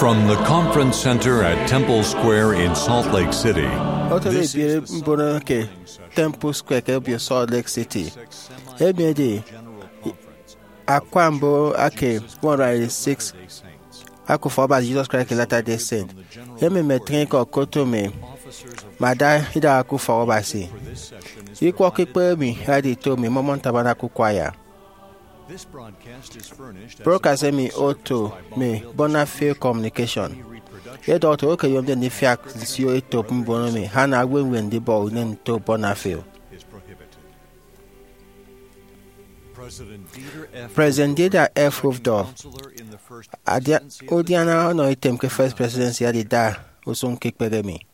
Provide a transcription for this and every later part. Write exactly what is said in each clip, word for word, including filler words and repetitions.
From the Conference Center at Temple Square in Salt Lake City, otoro this is ebiere the mbono ke Temple Square ke obio Salt Lake City. Emi edi akwa mbon eke one hundred eighty-six Akufo Abasi Jesus Christ ke Latter-day Saint. Emi metịñ ikọ koto mi, ma da idaha ke ufọk Abasi. Ikwọ ke ikpehe mi edi ito mi, Mormon Tabernacle Choir. Broadcast emi oto mi Bonafil Communication. Edọhọ oto owo ke eyomde ndifiak nsio etop mbono mi, Hannah Awenwen, ndibọ unen nto Bonafil. President Dieter F. Uchtdorf, adia-, udiana ọnọ item ke First Presidency, adida usụñ ke ikpehe mi.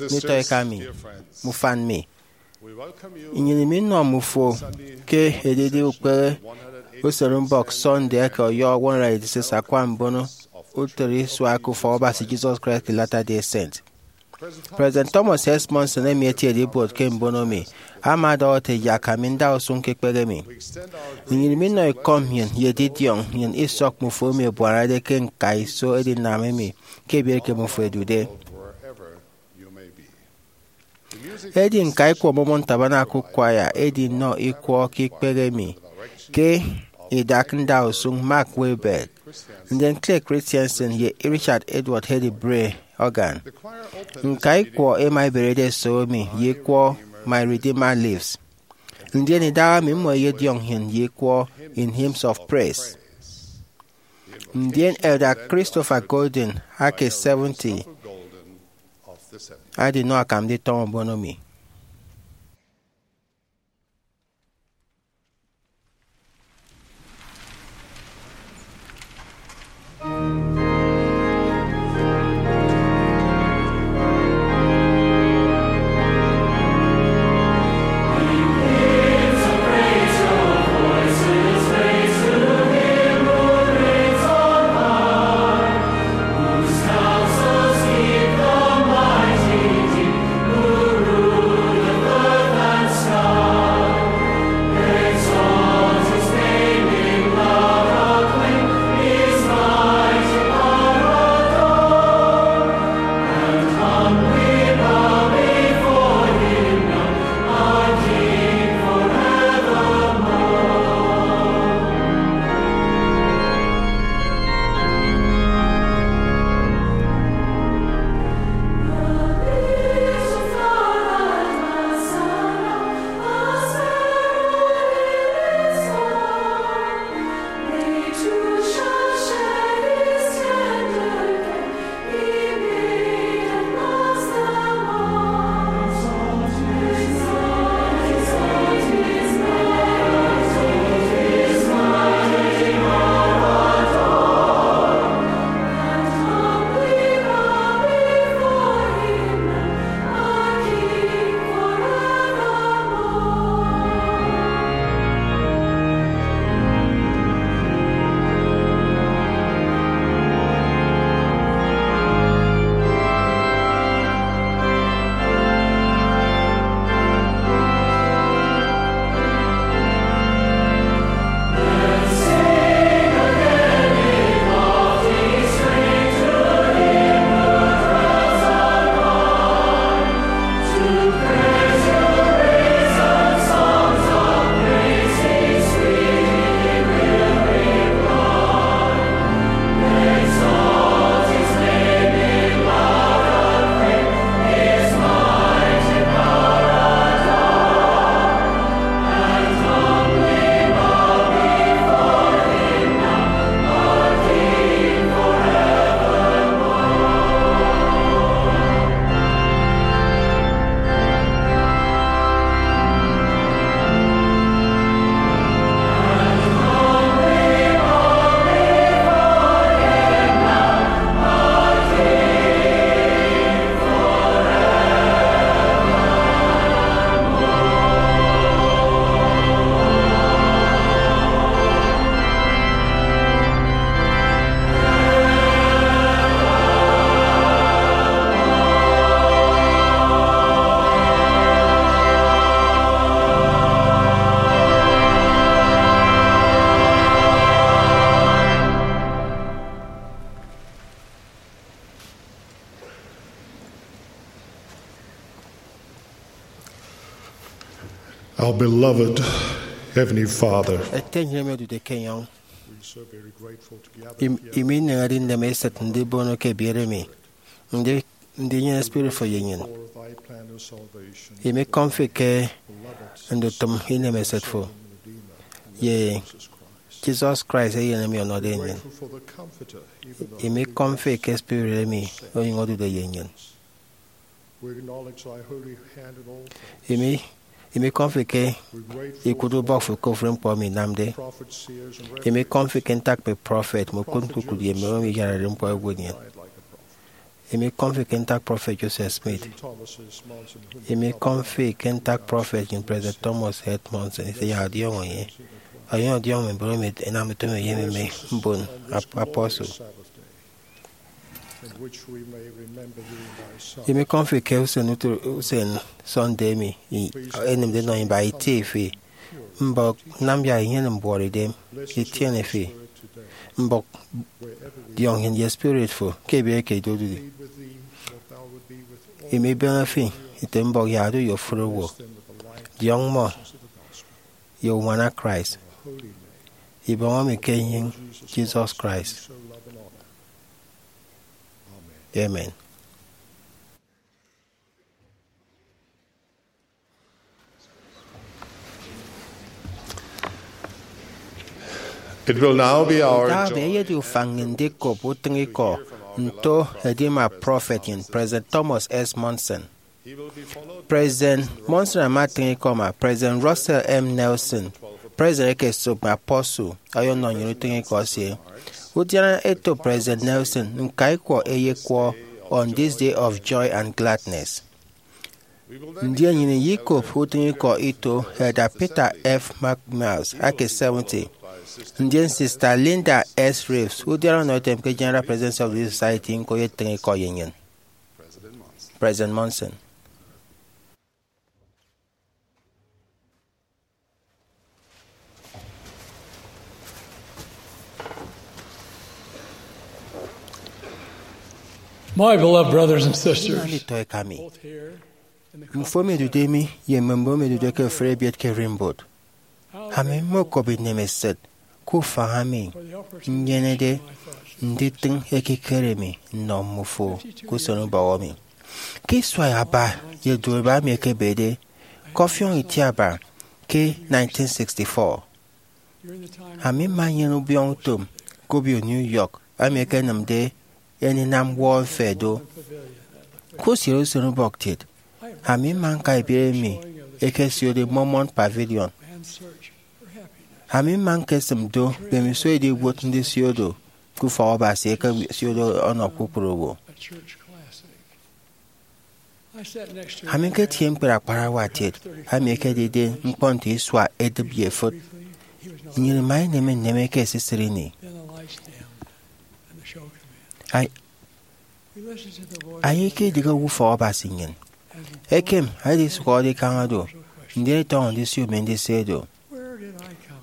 Nditọ eka mi, mme ufan mi, nnyịn iminọ mmufo ke edidi ukpehe usọrọmbọk Sunday eke ọyọhọ one hundred eighty-six akwa mbono utịt isua eke ufọk Abasi Jesus Christ ke Latter-day Saint. President Thomas S. Monson, emi etiede ibuot ke mbono mi, ama ọdọhọ ete, Yak ami nda usụñ ke ikpehe mi. Nnyịn iminọ ikọ nnyịn ye edidiọñ nnyịn isọk mmufo emi ẹbuanade ke ñkaiso edinam emi ke ibiet ke mmufo ẹdude. Edi ñka ikwọ Mormon Tabernacle Choir edinọ ikwọ ke ikpehe mi ke idak nda usụñ Mark Wahlberg, ndien Clay Christensen ye Richard Edward Hedy Bray organ. Ñka ikwọ ẹma ẹberede ẹsobo mi ye ikwọ My Redeemer Lives. Ndien idaha emi mmọ ẹyediọñ nnyịn ye ikwọ In Hymns of Praise. Ndien Elder Christopher Golden ake seventy adinọ akam nditọñọ mbono mi. Our beloved Heavenly Father, Ete nnyịn emi odude ke enyọñ, we are so very grateful to gather im- here imi ineñede ineme esịt ndibono ke ebiere mi, ndi ndinyene spirit fo ye nnyịn. For thy plan of salvation, Imi kọm fi ke beloved ndutịm inemesịt fo, Redeemer, ye Jesus Christ. Jesus Christ, eyen emi ọnọde nnyịn. Grateful for the Comforter, even though Imi kọm fi ke spirit emi onyụñ odude ye nnyịn. We acknowledge thy holy hand in all things. Imi imi kọm fi ke We grateful ikụt ubọk fo ke ofụri ñkpọ emi inamde. Prophet, seers, and Imi kọm fi ke ntak mme prọfet mme ukụt ñkukụt ye mme owo emi iyaranade ñkpọ ẹwot nnyịn. Died like a prophet. Imi kọm fi ke ntak prọfet Joseph Smith. President Thomas S. Monson, whom Imi we kọm fi ke ntak prọfet nnyịn President Thomas S. Monson, ese ya ọdiọñọ enye. Ọyọhọ ọdiọñọ mme mbon emi ẹnam utom ye mme mbon ap- apostle. Sabbath day, in which we may remember thee in thy Son. Imi kọm fi ke usen utu- usen Sunday emi i- ẹnịmde nọ iba itie fi. Mbọk nam yak inyene mbuọtidem itiene fi. Mbọk diọñ nnyịn ye spirit fo ke ebiere ke ido odudu. Imi ibeñe fi ite mbọk yak odu ye ofụri owo. Diọñ mmọ ye uñwana Christ. Ibọñ emi ke enyịñ Jesus Christ. Amen. It will now be our Ntak emi joy eyedi ufañ nnyịn ndikop utịñikọ nto edima prọfet nnyịn, President Thomas S. Monson. President Monson ama atịñ ikọ ma President Russell M. Nelson, President eke esop mme apostle, ọyọnọ nnyịn utịñikọ esie. Udiana eto President Nelson, ñkaikwọ eyekwọ On This Day of Joy and Gladness. Ndien nnyịn iyikop utịñikọ ito Elder Peter F. McManus ake seventy, ndien Sister Linda S. Reeves, udiana ọnọetem ke General Presidency of the Relief Society, ñko eyetịñ ikọ ye nnyịn. President Monson. My beloved brothers and sisters, Nditọ eka mi, both here in the mfo emi edude mi ye mme mbon emi edude ke ofụri ebiet ke ererimbot, ami mmokop inemesịt ke ufañ ami nnyenede nditịñ ekikere mi nnọ mmufo ke usen ubọhọ mi. Ke isua aba ye duoiba emi ekebede, ke ọfiọñ itiaba ke nineteen sixty-four, ami mma nnyene ubiọñ utom ke obio New York emi ekenịmde eninam World Fair do. Ke usiere usen ubọk kiet, ami mma ñka ebiere emi ekesiode Mormon Pavilion. Ami mma ñkesịm do mbemiso ediwot ndisio do ke Ufọkabasi ekesiode ọnọ kpukpru owo. Ami ñketie ñkpere akparawa kiet emi ekedide ñkpọ nte isua edịp ye efịt. Nnyịn ima ineme nneme ke esisịt ini. Ay- Aye ke idịghe owo Ufọkabasi nnyịn. Ekem, edisụhọde ikañ do, ndien itọñọ ndisio mi ndise do.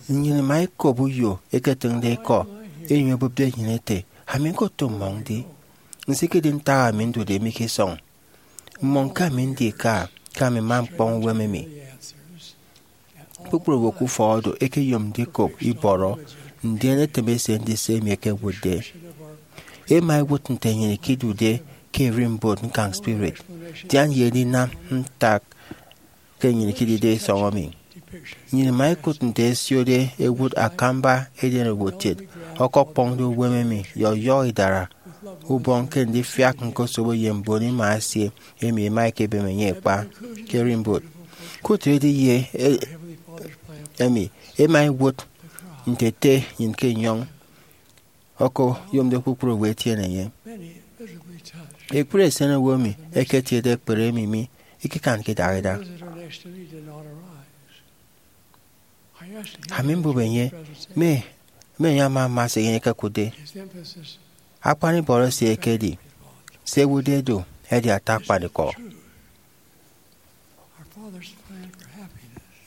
Nnyịn ima ikop uyo eketịñde ikọ, enyụñ ebụpde nnyịn ete, ami ñkoto mmọñ ndi? Nsikedi ntak ami ndude mi ke isọñ. Mmọñ ke ami ndi ika, ke ami mma ñkpọñ uwem emi. Kpukpru owo ke ufọk odo ẹkeyom ndikop ibọrọ, ndien ẹtịm ẹse ndise emi ẹkewụtde. Ẹma ẹwụt nte nnyịn ikidude ke ererimbot ñkañ spirit, dian ye edinam ntak ke nnyịn ikidide isọñ emi. Nnyịn ima ikụt nte ẹsiode ẹwụt akamba edenowo kiet, ọkọkpọñde uwem emi ye ọyọhọ idara ubọñ ke ndifiak ñkosobo ye mbon ima esie emi ẹma ẹkebem enye ẹkpa ke ererimbot. Kụt edi ye e- emi, ẹma ẹwụt nte ete nnyịn ke enyọñ ọkoyomde kpukpru owo ẹtiene enye. Ekpri esenowo emi ẹketiede ekpere emi mi ikekanke idahaida. Ami mbụp enye, me, me enye ama ama se enye ekekụtde. Akpan ibọrọ esie ekedi, se ẹwụtde do edi ata akpanikọ.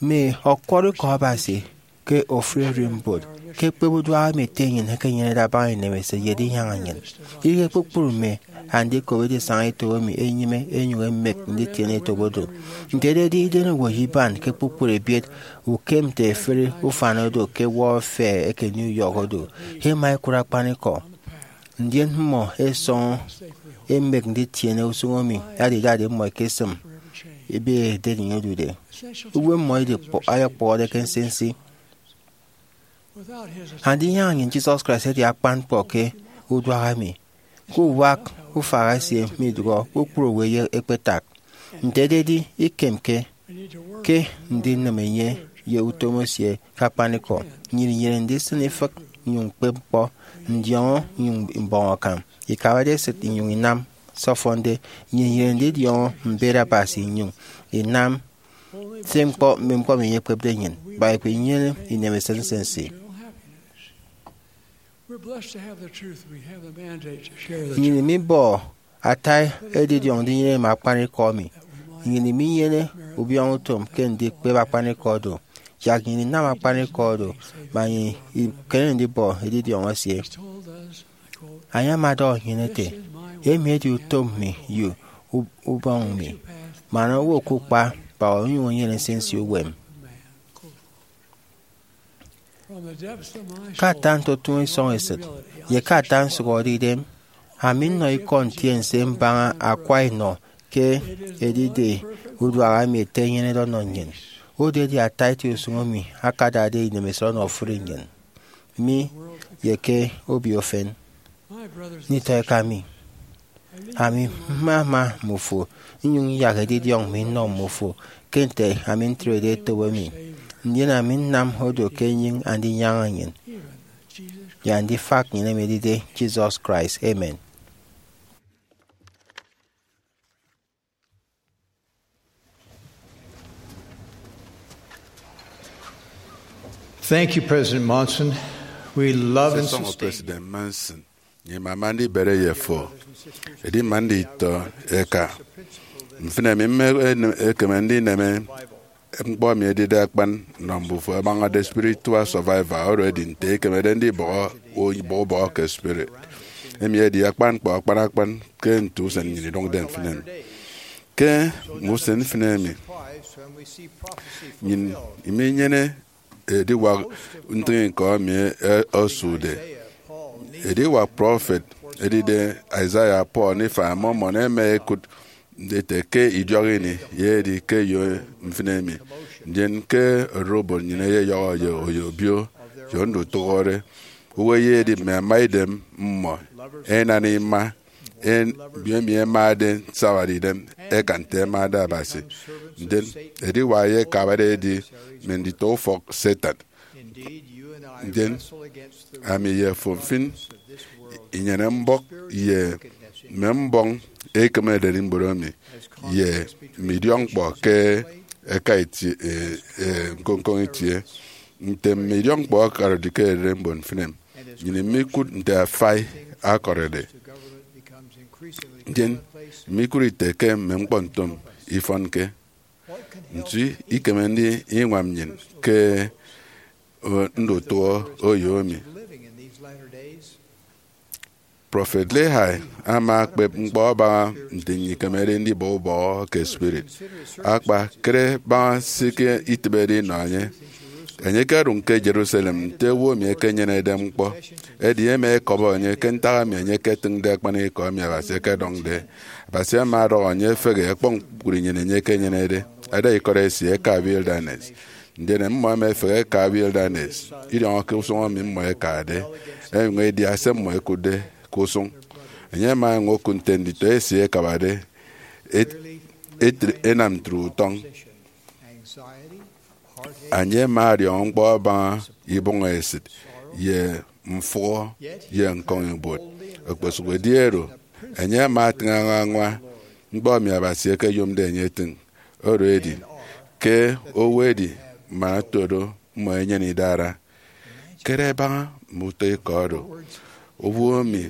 Mme ọkwọrọ ikọ Abasi ke ofụri ererimbot ke ekpep uduak emi ete enyịn ekenyenede abaña inemesịt ye edinyaña nnyịn. Idịghe kpukpru mme andikop edisaña etop emi enyịme enyụñ emek nditiene etop oro. Nte ededi, idenowo ye iban ke kpukpru ebiet ukem nte efịri ufan odo ke World Fair eke New York odo, ẹma ẹkụt akpanikọ. Ndien mmọ ẹsọñọ ẹmek nditiene usụñ emi adidade mmọ ẹkesịm ebe ederinyụñ ẹdude. Uwem mmọ idikpọ-, ayakpọhọde ke nsinsi. Andinyaña nnyịn Jesus Christ edi akpan ñkpọ ke uduak emi. Ke uwak ufak esie midụhe, kpukpru owo ẹyek ẹkpetak. Nte ededi, ikemke ke ndinịm enye ye utom esie ke akpanikọ. Nnyịn inyene ndisịn ifịk nnyụñ ñkpep ñkpọ, ndiọñọ nnyụñ mbọñ akam, ikabade esịt inyụñ inam se ọfọnde. Nnyịn inyene ndidiọñọ mbet Abasi inyụñ inam se ñkpọ, mme ñkpọ emi enye ekpepde nnyịn. Baibel inyene inemesịt nsinsi. We're blessed to have the truth. We have the mandate to share the Nnyịn truth. Mibọ ata edidiọñ ndinyene mme akpanikọ emi. Nnyịn minyene ubiọñọ utom ke ndikpep akpanikọ do. Yak nnyịn inam akpanikọ do, ma nnyịn ikeme ndibọ edidiọñ esie. He told us, I quote, Enye ama ọdọhọ nnyịn ete, "This is my will, emi edi utom mi ye u-, ubọñ mi, man owo okukpa, kpa onyụñ enyene nsinsi uwem." Ke ata ntotụñọ isọñ esịt, ye ke ata nsụhọde idem, ami nnọ ikọ ntiense mbaña akwa inọ ke edide uduak emi ete enyenede ọnọ nnyịn. Odo edi ata eti usụñ emi akadade inemesịt ọnọ ofụri nnyịn, mi, ye ke obio efen. Nditọ eka mi, ami mmama mmufo, nnyụñ nyak edidiọñ mi nnọ mmufo ke nte ami ntrede etop emi, ndien ami nnam odo ke enyịñ Andinyaña nnyịn, ye Andifak nnyịn emi edide Jesus Christ. Amen. Thank you, President Monson. We love and Sisọñọ sustain President Monson. Nyemama ndibere ye fo. Edi mma nditọ eka, mfịn emi mme ekeme ndineme ñkpọ emi edide akpan nnọ mbufo abañade spiritual survival, oro edi nte ikemede ndibọhọ ubọhọ ubọhọ ke spirit. Emi edi akpan ñkpọ akpan akpan ke nte usen nnyịn idụñde mfịn emi. Ke mme usen mfịn emi, nnyịn iminyene ediwak ntịñikọ emi e-, osude. Ediwak prọfet edide Isaiah, Paul, Nephi, Mormon ẹma ẹkụt ete ke idiọk ini ye edi ke eyo mfịn emi, ndien ke ererimbot nnyịn eyeyọhọ ye oyo obio ye ndutụhọre. Owo eyedi mme amaidem mmọ, ẹnana ima, en-, emi ẹmade nsawade idem ẹkan nte ẹmade Abasi. Ndien ediwak ye ẹkabade ẹdi mme nditọ ufọk Satan. Ndien ami ye fo mfịn inyene mbọk ye mme mbọñ ekem ererimbot emi ye mme idiọkñkpọ ke ẹka itie, e, e, ñkoñkoñ itie. Nte mme idiọkñkpọ ọkọrọde ke ererimbot mfịn emi, nnyịn imikụt nte afai akọrọde. Ndien imikụt ite ke mme ñkpọntịm ifọnke. Nso ikeme ndiñwam nnyịn ke, o, ndutụhọ oyo emi? Prọfet Lehi ama akpep ñkpọ abaña nte nnyịn ikemede ndibọ ubọhọ ke spirit. Akpa, kere baña se ke itịbede inọ enye. Enye ekedụñ ke Jerusalem nte owo emi ekenyenede ñkpọ. Edi ẹma ẹkọbọ enye ke ntak emi enye eketịñde akpanikọ emi Abasi ekedọñde. Abasi ama ọdọhọ enye efehe ẹkpọñ kpukpru inyene enye ekenyenede, ẹda ikọt esie ẹka wilderness. Ndien mmọ ẹma ẹfehe ẹka wilderness, idiọñọ ke usụñ emi mmọ ẹkade, ẹnyụñ ẹdia se mmọ ẹkụtde ke usụñ. Enye ama enyụñ okụt nte nditọ esie ẹkabade et-, etre-, ẹnam ntre utọñ. Enye ama ọdiọñọ ñkpọ abaña ibọñ esịt, ye mfụhọ, ye ñkọñibuot. Okposụkedi oro, enye ama atịñ añwañwa ñkpọ emi Abasi ekeyomde enye etịñ. Oro edi, ke owo edi man oto do, mmọ ẹnyene idara. Kere baña mme utọ ikọ oro. Owo emi,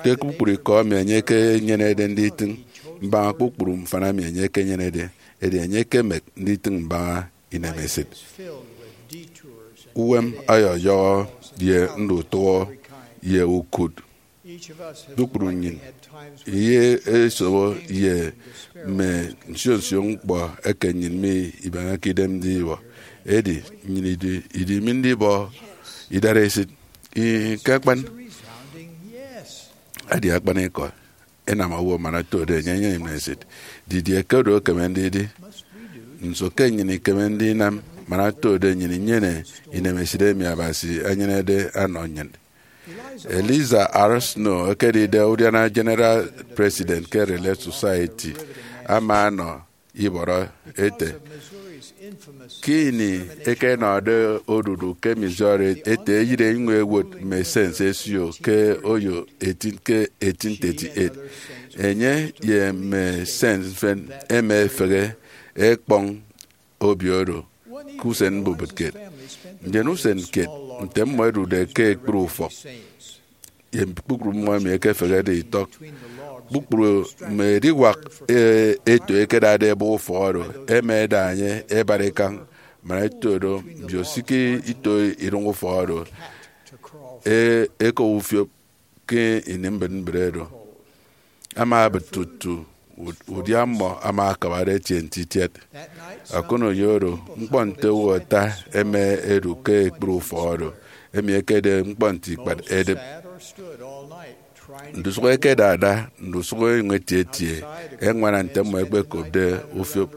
ke kpukpru ikọ emi enye ekenyenede nditịñ mbaña kpukpru mfana emi enye ekenyenede, edi enye ekemek nditịñ mbaña inemesịt. uwem ọyọyọhọ ye ndutụhọ ye ukụt. Kpukpru nnyịn iyesobo ye mme nsio nsio ñkpọ eke nnyịn mibeñeke idem ndibọ. Edi nnyịn idi, idi mi ndibọ idara esịt? Ih, ke akpan. Edi akpanikọ, inam owo man otode enye enyene inemesịt. Didie ke oro ekeme ndidi? Nso ke nnyịn ikeme ndinam man otode nnyịn inyene inemesịt emi Abasi enyenede ọnọ nnyịn? Eliza R. Snow, ekedide udiana General President ke Relief Society, ama ọnọ ibọrọ ete, ke ini ẹkenọde odudu ke Missouri, ete eyịre inyụñ ewot mme sense ẹsio ke oyo eighteen, ke eighteen thirty-eight. Enye ye mme sense mfịn ẹma ẹfehe ẹkpọñ obio oro ke usen mbubịt kiet. Ndien usen kiet, nte mmọ ẹdude ke ekpri ufọk, ye kpukpru mmọ emi ẹkefehede itọk, kpukpru mme ediwak, e, eto ẹkedade ẹbọ ufọk oro, ẹma ẹda enye ẹbara ikañ. Man eto do, mbio siki ito iduñ ufọk oro, e, ẹkop ufiop ke ini mbịt mbịt oro. Ama abịt tutu ud-, udia mmọ ama akabade etie nte itiat. Ọkụnọ ye oro, ñkpọ nte owo ata ẹma ẹdu ke ekpri ufọk oro, emi ekede ñkpọ nte ikpat edịp. Ndusụk ẹkedada ndusụk ẹnyụñ ẹtietie ẹñwana nte mmọ ẹkpekopde ufiop.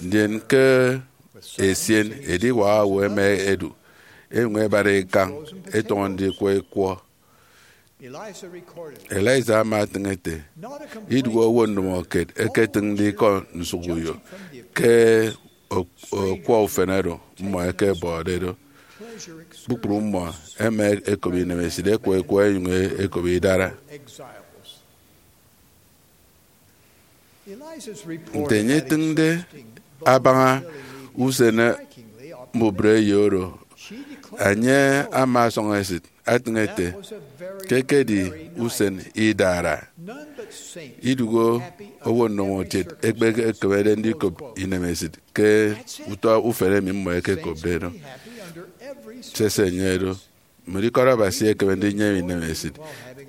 Ndien ke esien, ediwak owo ẹma ẹdu, ẹnyụñ ẹbara ikañ, ẹtọñọ ndikwọ ikwọ. Eliza ama etịñ ete, idụhe owo ndomokiet ẹketịñde ikọ nsụkuyo ke o-, ọkwọ ufen oro mmọ ẹkebọde do. Kpukpru mmọ ẹma ẹkop inemesịt, ẹkwọ ikwọ, ẹnyụñ ẹkop idara. Nte enye etịñde abaña usen mbubreyo oro, enye ama ọsọñ esịt etịñ ete ke ekedi usen idara. Idụhe owo ndomokiet ẹkpekemede ndikop inemesịt ke utọ ufen emi mmọ ẹkekopde do. Sese enye do. Mme ikọt Abasi ẹkeme ndinyene inemesịt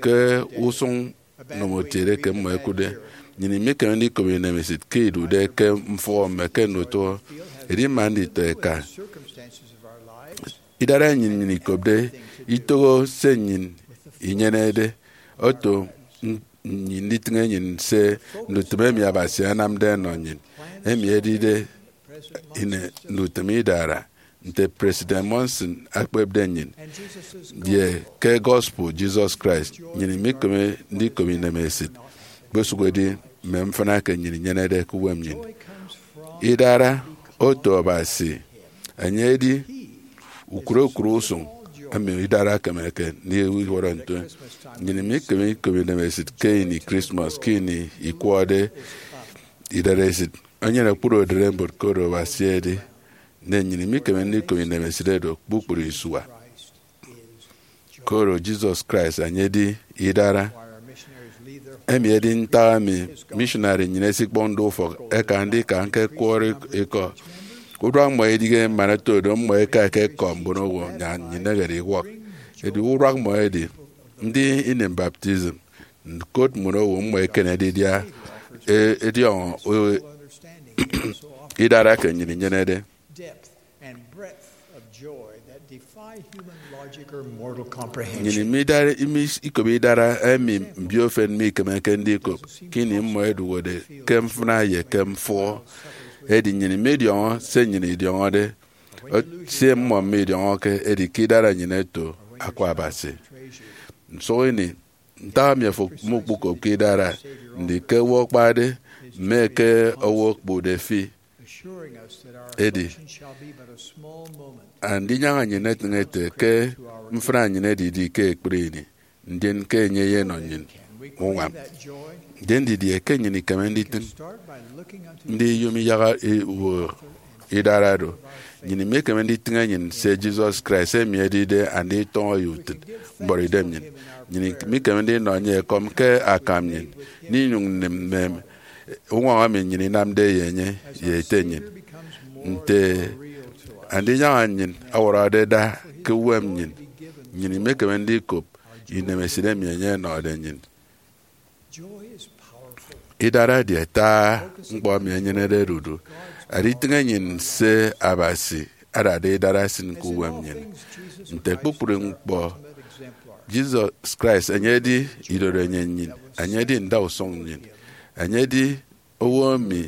ke usụñ ndomokiet eke mmọ ẹkụtde. Nnyịn imikeme ndikop inemesịt ke idude ke mfụhọ mme ke ndutụhọ. Edi mme nditọ eka idara nnyịn, nnyịn ikopde itoho se nnyịn inyenede, oto n-, nnyịn nditịñ enyịn se ndutịm emi Abasi anamde ọnọ nnyịn, emi edide ine ndutịm idara. Nte President Monson ekpepde nnyịn, ye ke gospel Jesus Christ, nnyịn imikeme ndikop inemesịt, kpesụk edi mme mfịna eke nnyịn inyenede ke uwem nnyịn. Idara oto Abasi, enye edi ukụre ukụre usụñ emi idara ekemeke ndiwọrọ nto. Nnyịn imikeme ikop inemesịt ke ini Christmas, ke ini ikwọde idaresit. Enyene kpukpru ererimbot ke oro Abasi edi, ndien nnyịn imikeme ndikop inemesịt oro kpukpru isua. Koro Jesus Christ enye edi idara. Emi edi ntak emi missionary nnyịn ẹsikpọñde ufọk ẹka ndika ñkekwọrọ ikọ. Uduak mmọ idighe man oto do mmọ ẹka ẹkekọk mbono owo, nnyịn inehede iwọk. Edi uduak mmọ edi, ndi ini baptism, ñkot mbono owo mmọ ẹkenede idia, e-, ediọñọ, e-, idara ke nnyịn inyenede. Nnyịn imidara, imi-, ikop idara emi mbiofen mikemeke ndikop ke ini mmọ ẹduhọde ke mfịna ye ke mfụhọ. Edi nnyịn imidiọñọ se nnyịn idiọñọde, o-, se mmọ midiọñọke, edi ke idara nnyịn eto Akwa Abasi. Nsụk ini, ntak emi afo mukpokopke idara, ndi ke owo akpade, mme ke owo okpụkde fi? Edi, andinyaña nnyịn etịñ ete ke mfịna nnyịn edidi ke ekpri ini, ndien ke enye eyenọ nnyịn uñwam. Ndien didie ke nnyịn ikeme nditịñ ndiyom iyaha i-, uwo idara do? Nnyịn imikeme nditịñ enyịn se Jesus Christ emi edide anditọñọ ye utịt mbọrọidem nnyịn. Nnyịn imikeme ndinọ enye ekọm ke akam nnyịn, ndinyụñ nnịm mme uñwọñọ emi nnyịn inamde ye enye ye ete nnyịn. Nte andinyaña nnyịn ọwọrọde da ke uwem nnyịn, nnyịn imekeme ndikop inemesịt emi enye ọnọde nnyịn. Idara edi ata ñkpọ emi enyenede odudu. Aditịñ enyịn se Abasi adade idara esịn ke uwem nnyịn. Nte kpukpru ñkpọ, Jesus Christ enye edi idorenyin nnyịn, enye edi ndausụñ nnyịn, enye edi owo emi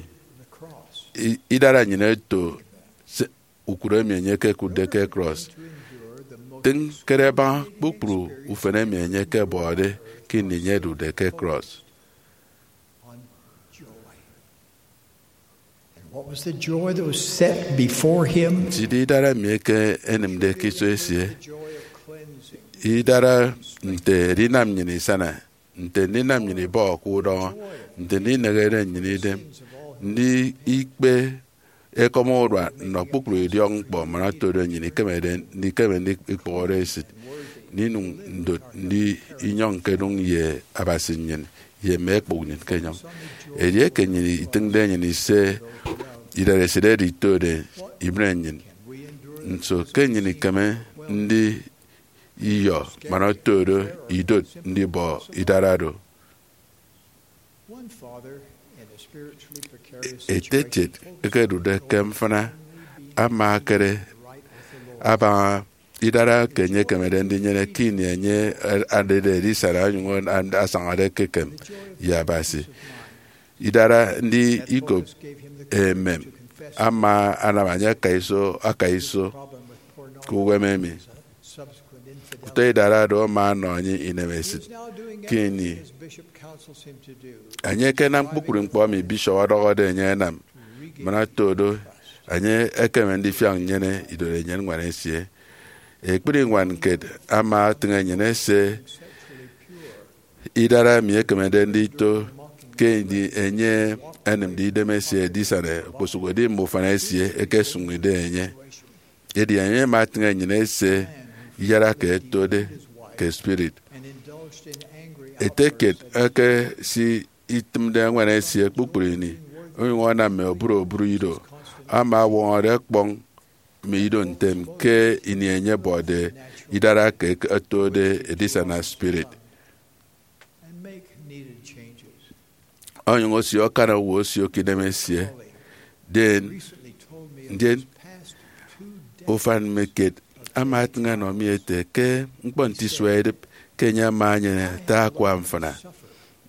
i- idara nnyịn eto se- ukut emi enye ekekụtde ke cross. Tịñ kere baña kpukpru ufen emi enye ekebọde ke ini enye edude ke cross. And what was the joy that was set before him? Nti idara emi eke enịmde ke iso esie? Idara nte edinam nnyịn isana, nte ndinam nnyịn ibọhọke udọñọ, nte ndinehede nnyịn idem, ndi ikpe ekọm urua nnọ kpukpru idiọk ñkpọ man otodo nnyịn ikemede ndikeme ndikpụhọde esịt, ndinụñ ndot ndi inyọñ nkedụñ ye Abasi nnyịn ye mme ekpụk nnyịn ke enyọñ. Edieke nnyịn itịñde enyịn ise idaresit oro itode ibịne nnyịn, nso ke nnyịn ikeme ndi iyọ man otodo idot ndibọ idara do? One father in a spiritually precarious Ete situation etiet ekedude ke mfịna ama akere abaña idara ke enye ekemede ndinyene ke ini enye adede edisana onyụñ asañade ekekem ye Abasi. Idara ndi ikop emem ama anam enye aka iso aka iso ke uwem emi. Utọ idara do ama ọnọ enye inemesịt ke ini enye ekenam kpukpru ñkpọ emi bishop ọdọhọde enye anam, man otodo enye ekeme ndifiak nnyene idorenyin ñwan esie. Ekpri ñwan kiet ama atịñ enyịn ese idara emi ekemede ndito ke ini enye enịmde idemesie edisana okposụkedi mme ufan esie ẹkesụñide enye. Edi enye ama atịñ enyịn ese iyara ke ẹtode ke spirit. Ete kiet eke si itịmde ñwan esie kpukpru ini, onyụñ anam mme obụru obụru ido ama ọwọñọde ọkpọñ mme ido ntem ke ini enye ẹbọde idara ke ẹtode edisana spirit. Onyụñ osio akan owo osio ke idem esie. Den, ndien ufan mme kiet ama atịñ ọnọ mi ete ke ñkpọ nte isua idịp ke enye ama enyene ata akwa mfịna,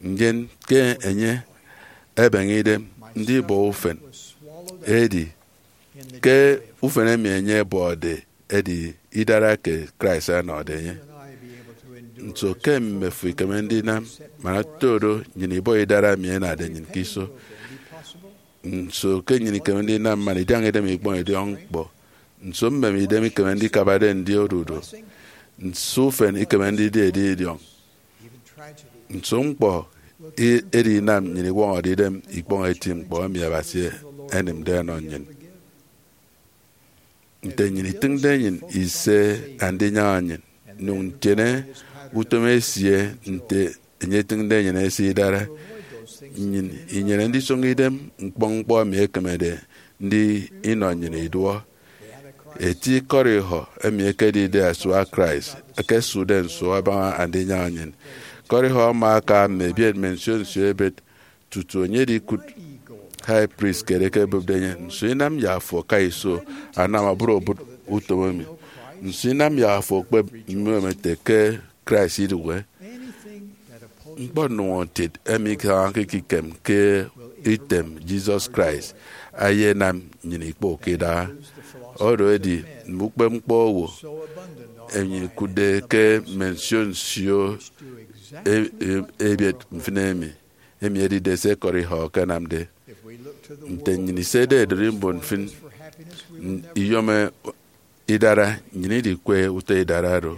ndien ke enye ebeñe idem ndibọ ufen. Edi ke ufen emi enye ebọde edi idara ke Christ ọnọde enye. Nso ke mmefo ikeme ndinam man otodo nnyịn ibọ idara emi ẹnade nnyịn ke iso? Nso ke nnyịn ikeme ndinam man idiaña idem ikpọñ idiọk ñkpọ? Nso mmem idem ikeme ndikabade ndi odudu? Nso ufen ikeme ndidi edidiọñ? Nso ñkpọ i- edinam nnyịn iwọñọde idem ikpọñ eti ñkpọ emi Abasi enịmde ọnọ nnyịn? Nte nnyịn itịñde enyịn ise andinyaña nnyịn, nyụñ ntiene utom esie nte enye etịñde enyịn ese idara, nnyịn inyene ndisoño idem ñkpọñ ñkpọ emi ekemede ndi inọ nnyịn iduọ. Eti ikọt ihọ emi ekedide asua Christ ekesụkde nsu abaña andinyaña nnyịn. Ikọt ihọ ama aka mme ebiet mme nsio nsio ebet tutu enye edikụt high priest kiet ekebụpde enye. Nso inam yak afo aka iso anam obụt obụt utom emi? Nso inam yak afo okpep mmiomo ete ke Christ idụhe? Ñkpọ nnụñọtịt emi isañake ekikem ke item Jesus Christ ayenam nnyịn ikpok idaha. Oro edi, mme ukpepñkpọ owo emi ẹkụtde ke mme nsio nsio e- e- ebiet mfịn emi, emi edide se ikọt ihọ ẹkenamde. Nte nnyịn isede ederi mbon mfịn iyom idara, nnyịn idikwe utọ idara oro.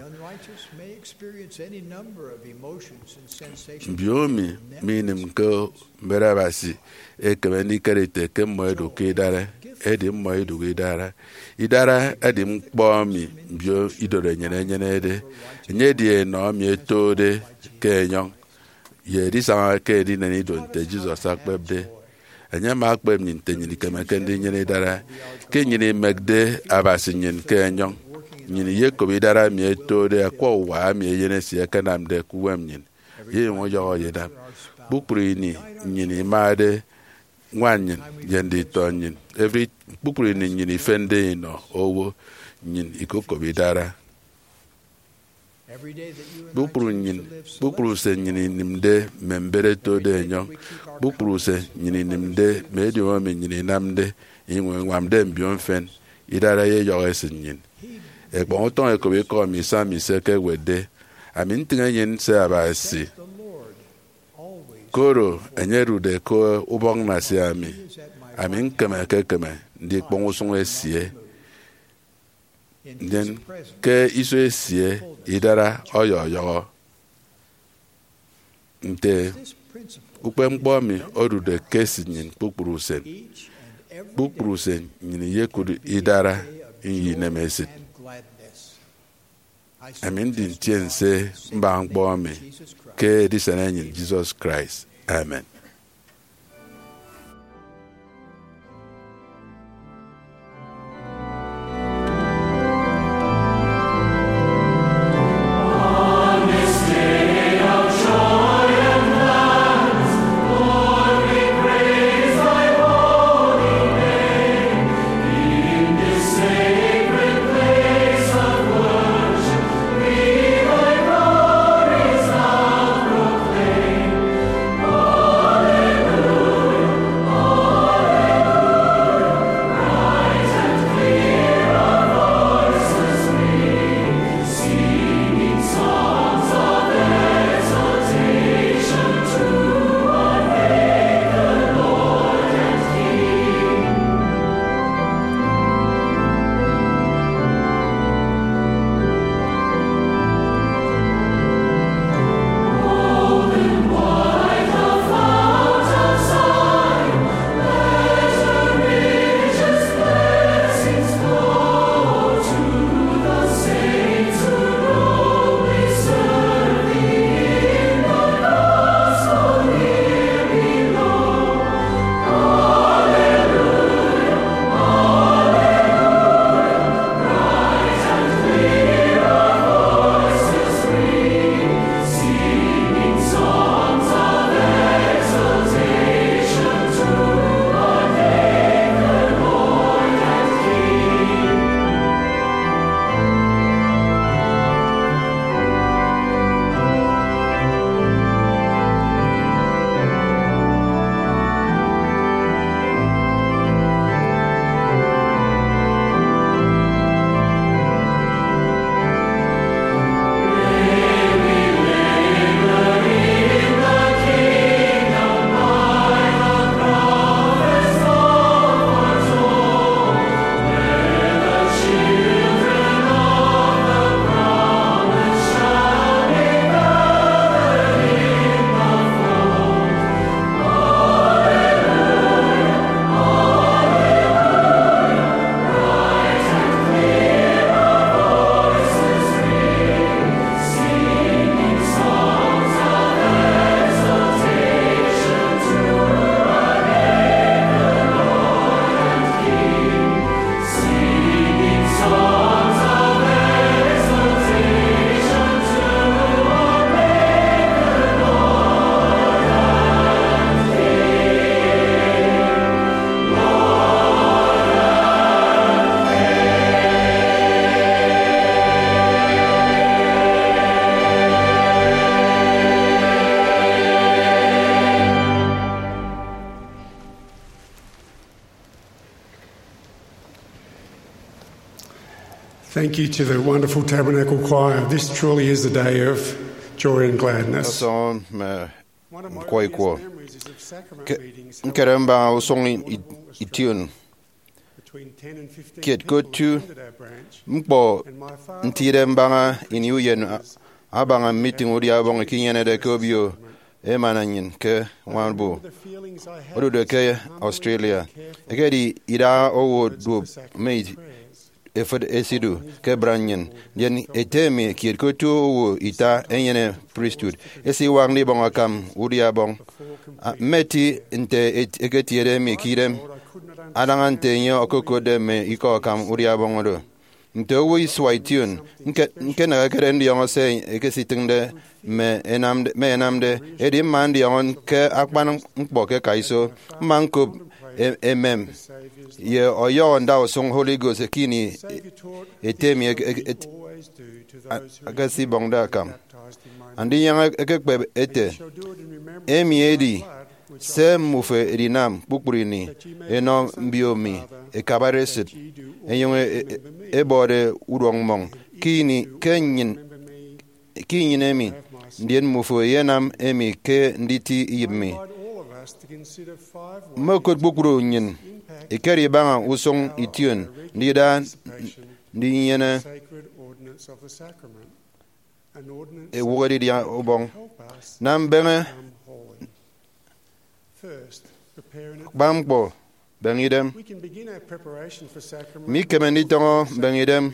Mbiomi minịm ke mbet Abasi ekeme ndikere ete ke mmọ ẹdụk ke idara, edi mmọ idụk idara. Idara edi ñkpọ emi mbio idorenyin ẹnyenede. Enye edi enọ emi ẹtode ke enyọñ ye edisaña ke edinen ido nte Jesus akpepde. Enye ama akpep nnyịn nte nnyịn ikemeke ndinyene idara ke nnyịn imekde Abasi nnyịn ke enyọñ. Nnyịn iyekop idara emi ẹtode akwa uwa emi eyen esie ẹkenamde ke uwem nnyịn, ye inyụñ iyọhọ ye idap. Kpukpru ini nnyịn imade ñwan nnyịn ye nditọ nnyịn. Every, kpukpru ini nnyịn ifende inọ owo, nnyịn ikokop idara. Kpukpru nnyịn, kpukpru se nnyịn inịmde mme mbet ẹtode enyọñ, kpukpru se nnyịn inịmde mme ediomi emi nnyịn inamde, inyụñ iñwamde mbio mfịn, idara eyeyọhọ esịt nnyịn. Ẹkpọñ utọñ ẹkop ikọ emi Psalmist ekewetde, "Ami ntịñ enyịn nse Abasi, koro enye odude ke ubọk nnasia mi, ami ñkemeke-keme ndikpọñ usụñ esie. Ndien ke iso esie idara ọyọyọhọ." Nte ukpepñkpọ emi odude ke esịt nnyịn kpukpru usen, kpukpru usen nnyịn iyekụt idara ye inemesịt. Ami ndi ntiense mbaña ñkpọ emi ke edisen enyịn Jesus Christ. Amen. Thank you to the wonderful Tabernacle Choir. This truly is a day of joy and gladness. Ọsọñọ mme nkwọ ikwọ. Ke nkere mbaña usụñ i- ition kiet ke otu ñkpọ ntide mbaña ini uyen a- abaña meeting udia ọbọñ eke inyenede ke obio emana nnyịn ke Warrnambool odude ke Australia. Ekedi idaha owo duop mme efịt esidu ke branch nnyịn, ndien ete emi kiet ke otu owo ita enyene priesthood esiwak ndibọñ akam udia ọbọñ. A- mmeti nte et- eketiede mi ke idem adaña nte enye okokotde mme ikọ akam udia ọbọñ oro. Nte owo isua ition, nke- ñkenehekede ndiọñọ se ekesitịñde mme enamde- mme ẹnamde, edi mma ndiọñọ ke akpan ñkpọ ke kaiso. Mma ñkop e- emem ye ọyọhọ ndausụñ Holy Ghost ke ini ete mi eke- eke- et- a- akesibọñde akam. Andinyaña ekekpep ete, emi edi se mmufo edinam kpukpru ini, enọ mbio mi ẹkabade esịt, ẹnyụñ e- e- ẹbọde uduọkmmọñ ke ini ke nnyịn ke inyene emi, ndien mmufo eyenam emi ke nditi iyịp mi. Mmokụt kpukpru nnyịn ikere ibaña usụñ ition ndida ndinyene ewụk edidia ubọñ. Nam mbeñe. Kpa ñkpọ, beñe idem. Mikeme nditọñọ mbeñe idem.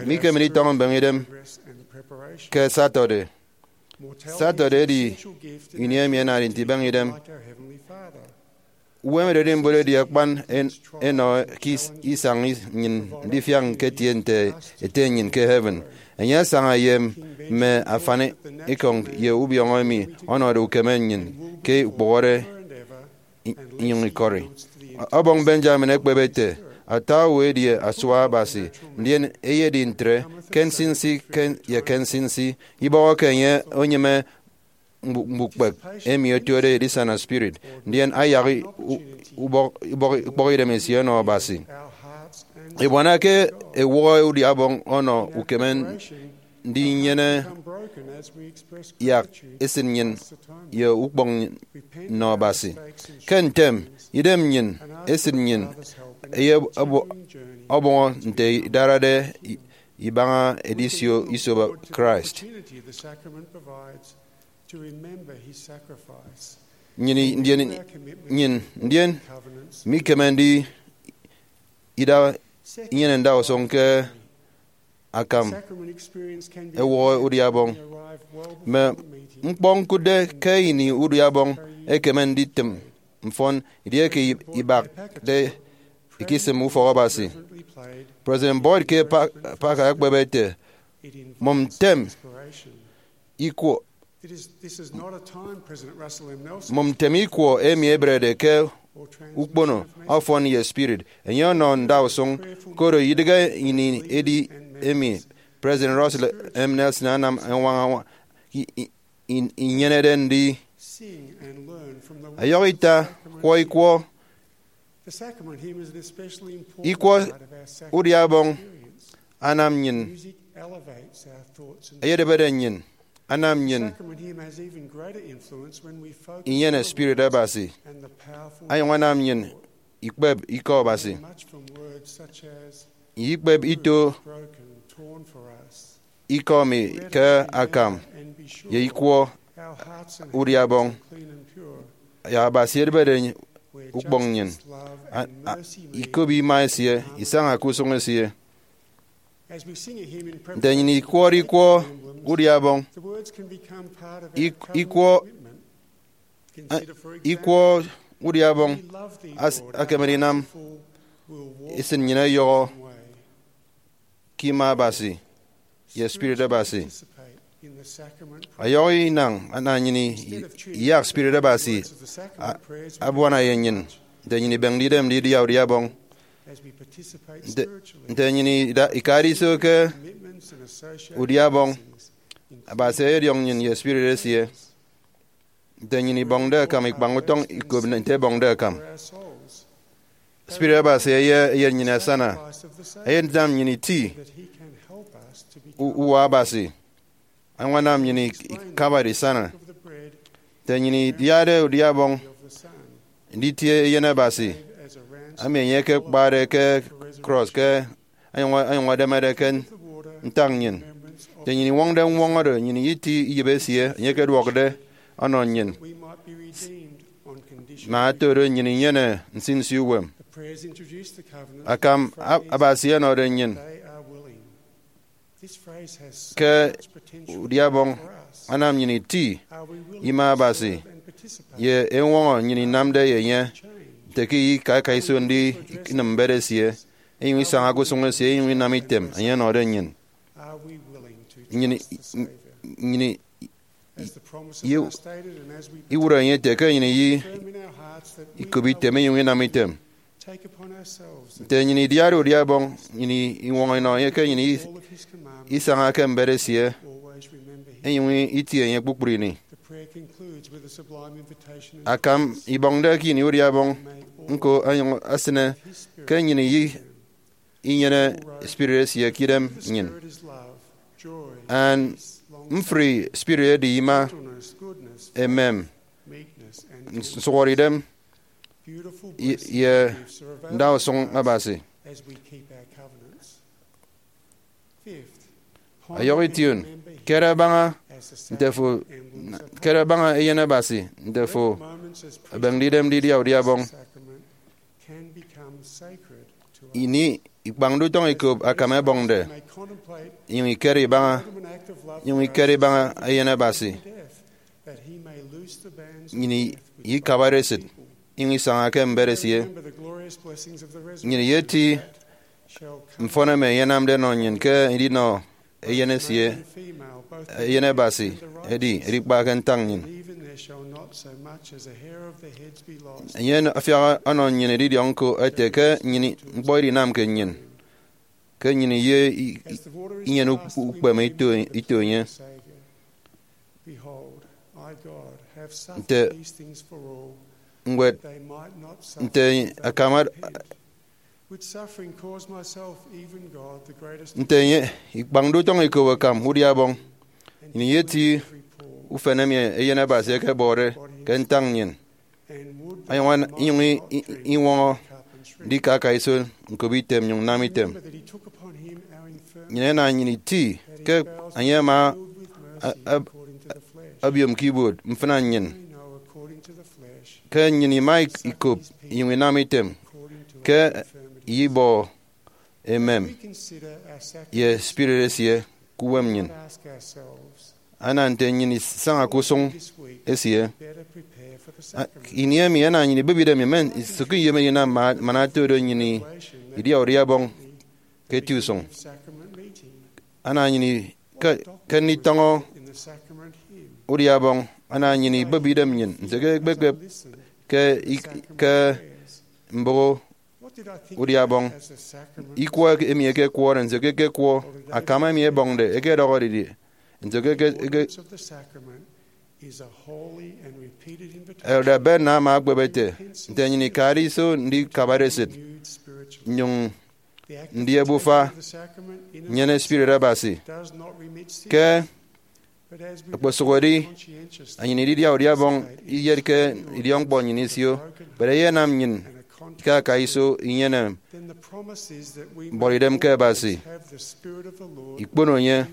Mikeme nditọñọ mbeñe idem ke Saturday. Saturday edi ini emi ẹnade nti ibeñe idem. Uwem Ererimbot edi akpan en- enọ ke is- isañ nnyịn ndifiak ñketie nte ete nnyịn ke heaven. Enye asaña ye mme afanikọñ ye ubiọñọ emi ọnọde ukeme nnyịn ke ukpụhọde i- inyụñ ikọri. Ọbọñ Benjamin ekpep ete, ata owo edi asua Abasi, ndien eyedi ntre ke nsinsi ke- ye ke nsinsi, ibọhọke enye onyịme mbu- mbukpek emi otuede edisana spirit, ndien ayak i- u- ubọk- ubọk- ukpọkidem esie ọnọ Abasi. Ebuana ke ewụhọ udiabọñ ọnọ ukeme ndinyene yak esịt nnyịn ye ukpọñ nnọ Abasi. Ke ntem, idem nnyịn, esịt nnyịn, eye ọbọ- ọbọñọ nte idarade i- ibaña edisio iso Christ. Nnyịn i- ndien nnyịn ndien mikeme ndi ida inyene ndausụñ ke akam ewụhọ udiabọñ. Mme ñkpọ ñkụtde ke ini udiabọñ ekeme nditịm mfọn edieke i- ibakde ikisịm ufọk Abasi. President Boyd K. Pa- Packer ekpep ete, mụm ntem ikwọ mụm ntem ikwọ emi eberede ke ukpono ọfọn ye spirit. Enye ọnọ ndausụñ, koro idịghe ini edi emi President Russell M. Nelson anam añwaña i- i- in- inyenede ndi. Ọyọhọ ita, kwọ ikwọ. Ikwọ udiabọñ anam nnyịn eyedịbede nnyịn, anam nnyịn inyene spirit Abasi, anyụñ anam nnyịn ikpep ikọ Abasi. Ikpep ito ikọ mi ke akam ye ikwọ udiabọñ, yak Abasi edịbede ukpọñ nnyịn, a- a- ikop ima esie, isaña ke usụñ esie. Nte nnyịn ikwọde ikwọ udiabọñ, ik- ikwọ a- ikwọ udiabọñ as- akeme ndinam esịt nnyịn ọyọhọ ke ima Abasi ye spirit Abasi. Ọyọhọ inañ ana nnyịn i- iyak spirit Abasi a- abuana ye nnyịn. Nte nnyịn ibemde idem ndidia udiabọñ, nte- nte nnyịn ida- ikade iso ke udiabọñ, Abasi eyediọñ nnyịn ye spirit esie. Nte nnyịn ibọñde akam ikpañ utọñ ikop nte ẹbọñde akam, spirit Abasi eye eyet nnyịn asana, eyet ntam nnyịn iti u- uwa Abasi, añwanam nnyịn ikabade isana. Nte nnyịn idiade udiabọñ nditie eyen Abasi, ami enye ekekpade ke krọs ke anyụñ anyụñ edemede ke ntak nnyịn. Nte nnyịn iñwọñde ñwọñọde nnyịn iti iyịp esie enye ekeduọkde ọnọ nnyịn, ma otodo nnyịn inyene nsinsi uwem. Akam Abasi ọnọde nnyịn ke udiabọñ anam nnyịn iti ima Abasi ye eñwọñọ nnyịn inamde ye enye. nte ke ika aka iso ndi inịm mbet esie, inyụñ isaña ke usụñ esie, inyụñ inam item enye ọnọde nnyịn. Nnyịn, nnyịn ye iwụt enye ete ke nnyịn iyi ikop item inyụñ inam item. Nte nnyịn idiade udia Ọbọñ, nnyịn iñwọñọ inọ enye ke nnyịn isaña ke mbet esie, inyụñ itie enye kpukpru ini. Akam ibọñde ke ini udia Ọbọñ ñko, onyụñ esịne ke nnyịn iyi inyene spirit esie ke idem nnyịn. And mfri spirit edi ima, emem, nsụhọdeidem, ye ndausụñ Abasi. Ọyọhọ ition, kere abaña nte fo, kere abaña Eyen Abasi nte fo ebịñde idem ndidia udia Ọbọñ. Ini ikpañde utọñ ikop akam ẹbọñde, inyụñ ikere ibaña, inyụñ ikere ibaña Eyen Abasi. Nnyịn ikabade esịt, inyụñ isaña ke mbet esie. Nnyịn iyeti mfọn emi enye anamde ẹnọ nnyịn ke edinọ Eyen esie, Eyen Abasi edi edikpa ke ntañ nnyịn. Enye afiak ọnọ nnyịn edidiọñ ñko ete ke nnyịn ñkpọ idinamke nnyịn, ke nnyịn iye inyene ukpeme ito, ito enye. Nte ñwed, nte akam ad- nte enye ikpañde utọñ ikop akam udia Ọbọñ, nnyịn iyeti ufen emi Eyen Abasi ekebọde ke ntañ nnyịn, inyụñ iñwọñọ ndika aka iso ñkop item nnyụñ nnam item. Nnyịn ẹna nnyịn iti ke enye ama abiom ke ibuot mfịna nnyịn, ke nnyịn ima ikop inyụñ inam item ke iyibọ emem ye spirit esie ke uwem nnyịn. Ana nte nnyịn isaña ke usụñ esie. Ini emi, ana nnyịn ibịbide mi men nsụk iyom edinam man ata do nnyịn idia udia Ọbọñ ke eti usụñ. Ana nnyịn ke nditọñọ udia Ọbọñ, ana nnyịn ibịbide nnyịn nte ke ekpekpep ke mbụk udia Ọbọñ, ikwọ emi ekekwọde, nso ke ekekwọ, akam emi ebọñde ekedọhọ didie, nso ke eke- Elder Bednar ama okpep ete, nte nnyịn ikade iso ndikabade esịt nnyụñ ndi ebufa nnyene spirit Abasi. Ke okposụkedi nnyịn ididia udia Ọbọñ iyetke idiọkñkpọ nnyịn isio, but eyenam nnyịn ikaka iso inyene mbuọtidem ke Abasi ikpono enye,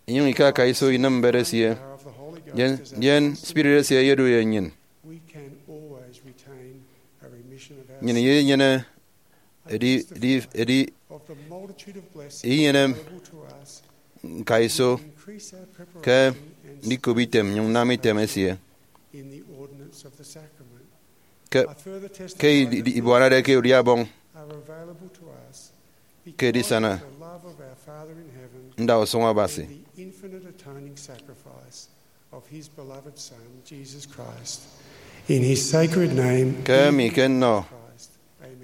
inyụñ ikaka iso inịm mbet esie, ndien spirit esie eyedu ye nnyịn. Nnyịn iyenyene edi, edi, edi inyene ñkaiso ke ndikop item nnyụñ nnam item esie ke, ke idi- ibuanade ke udia Ọbọñ ke edisana ndausụñ Abasi. In his sacred name, ke emi ke nnọ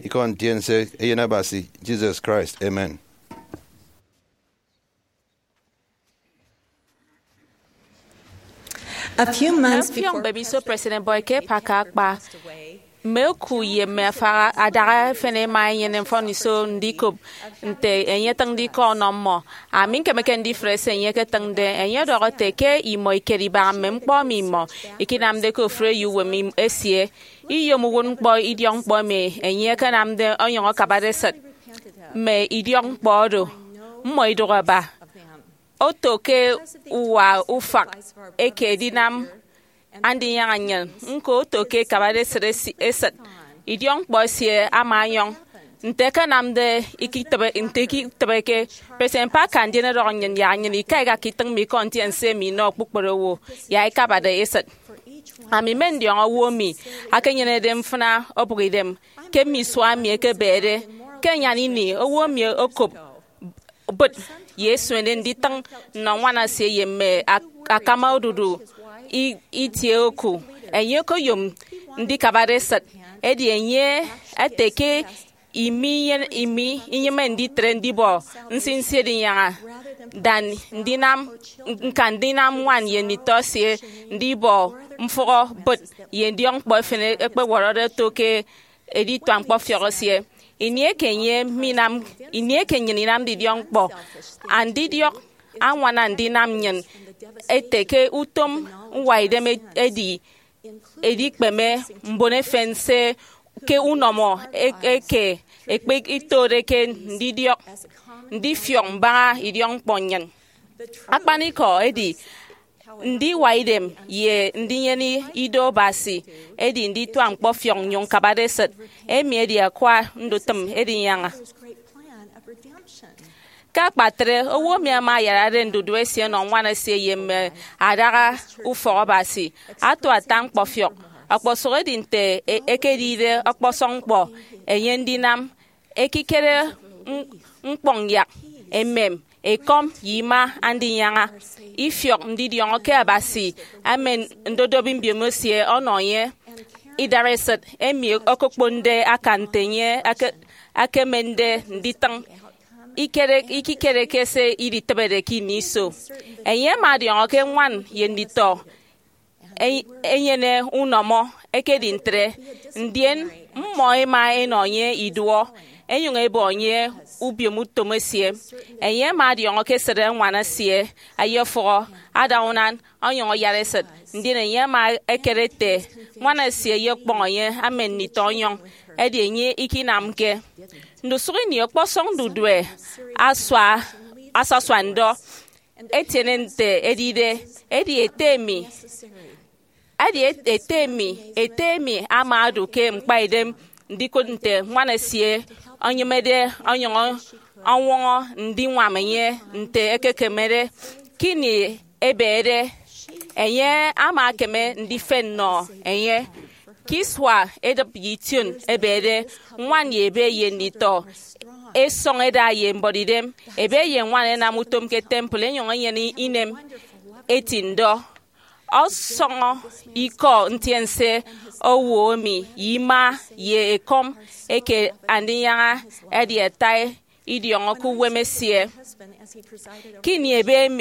ikọ ntiense Eyen Abasi Jesus Christ. Amen. A few months Ọfiọñ before mbemiso President Boyd K. Packer akpa, mme oku ye mme afara adaha efen ẹma ẹnyene mfọniso ndikop nte enye etịñde ikọ ọnọ mmọ. Ami ñkemeke ndifre se enye eketịñde. Enye ọdọhọ ete ke imọ ikere ibaña mme ñkpọ emi imọ ikinamde ke ofụri eyouwem im- esie. Iyom uwụtñkpọ idiọkñkpọ emi enye akanamde onyụñ akabade esịt mme idiọkñkpọ oro, mmọ idụhe aba. Oto ke uwa ufak eke edinam Andinyaña nnyịn ñko oto ke ikabade esịt esi- esịt. Idiọkñkpọ esie ama ọnyọñ. Nte ẹkenamde ikitịbe, nte ikitịbeke, President Packer ndien ọdọhọ nnyịn yak nnyịn ikaika ke itịñ mme ikọ ntiense emi inọ kpukpru owo yak ikabade esịt. Ami mme ndiọñọ owo emi akenyenede mfịna obụk idem ke mme isua emi ẹkebede. Ke anyan ini, owo emi okop bụt ye esuene nditịñ nnọ ñwan esie ye mme ak- akama odudu i- itie oku. Enye okoyom ndikabade esịt, edi enye ete ke imi inyene- imi inyịme nditre ndibọ nsinsi edinyaña than ndinam ñka ndinam ñwan ye nditọ esie ndibọ mfụhọ bụt ye ndiọkñkpọ efen ekpewọrọde oto ke edituak ñkpọfiọk esie. Ini eke enye minam ini eke nnyịn inamde idiọkñkpọ, andidiọk añwana ndinam nnyịn ete ke utom ñwaidem edi edikpeme mbon efen se ke unọmọ e- eke ekpe itode ke ndidiọk ndifiọk mbaña idiọkñkpọ nnyịn. Akpanikọ edi, ndiwa idem ye ndinyene ido Abasi edi ndituak ñkpọfiọk nnyụñ ñkabade esịt. Emi edi akwa ndutịm edinyaña. Ke akpatre, owo emi ama ayarade ndudu esie nọ ñwan esie ye mme adaha ufọk Abasi ato ata ñkpọfiọk. Ọkpọsụk edi nte e- ekedide ọkpọsọñ ñkpọ enye ndinam ekikere ñkpọñ yak emem ekọm ye ima andinyaña ifiọk ndidiọñọ ke Abasi emen ndodobi mbiomo esie ọnọ enye. Idareset emi okokponde akan nte enye ekemende nditịñ ikikere ke se iditịbede ke ini iso. Enye ama ọdiọñọ ke ñwan ye nditọ enyene unọmọ. Ekedi ntre, ndien mmọ ema enọ enye iduọ, enyụñ ebọ enye ubiomutom esie. Enye ama ọdiọñọ ke esịt ñwan esie ayefụhọ ada unan, ọnyụñ ayara esịt. Ndien enye ama ekere ete ñwan esie eyekpọñ enye emen nditọ ọnyọñ, edi enye ikinamke. Ndusụk ini, ọkpọsọñ ndudue asua asasua ndọ etiene nte edide. Edi ete emi edi ete emi ete emi ama odu ke ñkpaidem ndikụt nte ñwan esie enyịmede ọnyụñ ọñwọñọ ndiñwam enye nte ekekemede. Ke ini ebede, enye ama ekeme ndifen nnọ enye. Ke isua edịp ye ition ebede, ñwan ye ebe ye nditọ esọñ ẹda ye mbuọtidem. Ebe ye ñwan ẹnam utom ke temple ẹnyụñ ẹnyene inem eti ndọ. Ọsọñọ ikọ ntiense owo emi ye ima ye ekọm eke andinyaña ẹdi ata idiọñọ ke uwem esie. Ke ini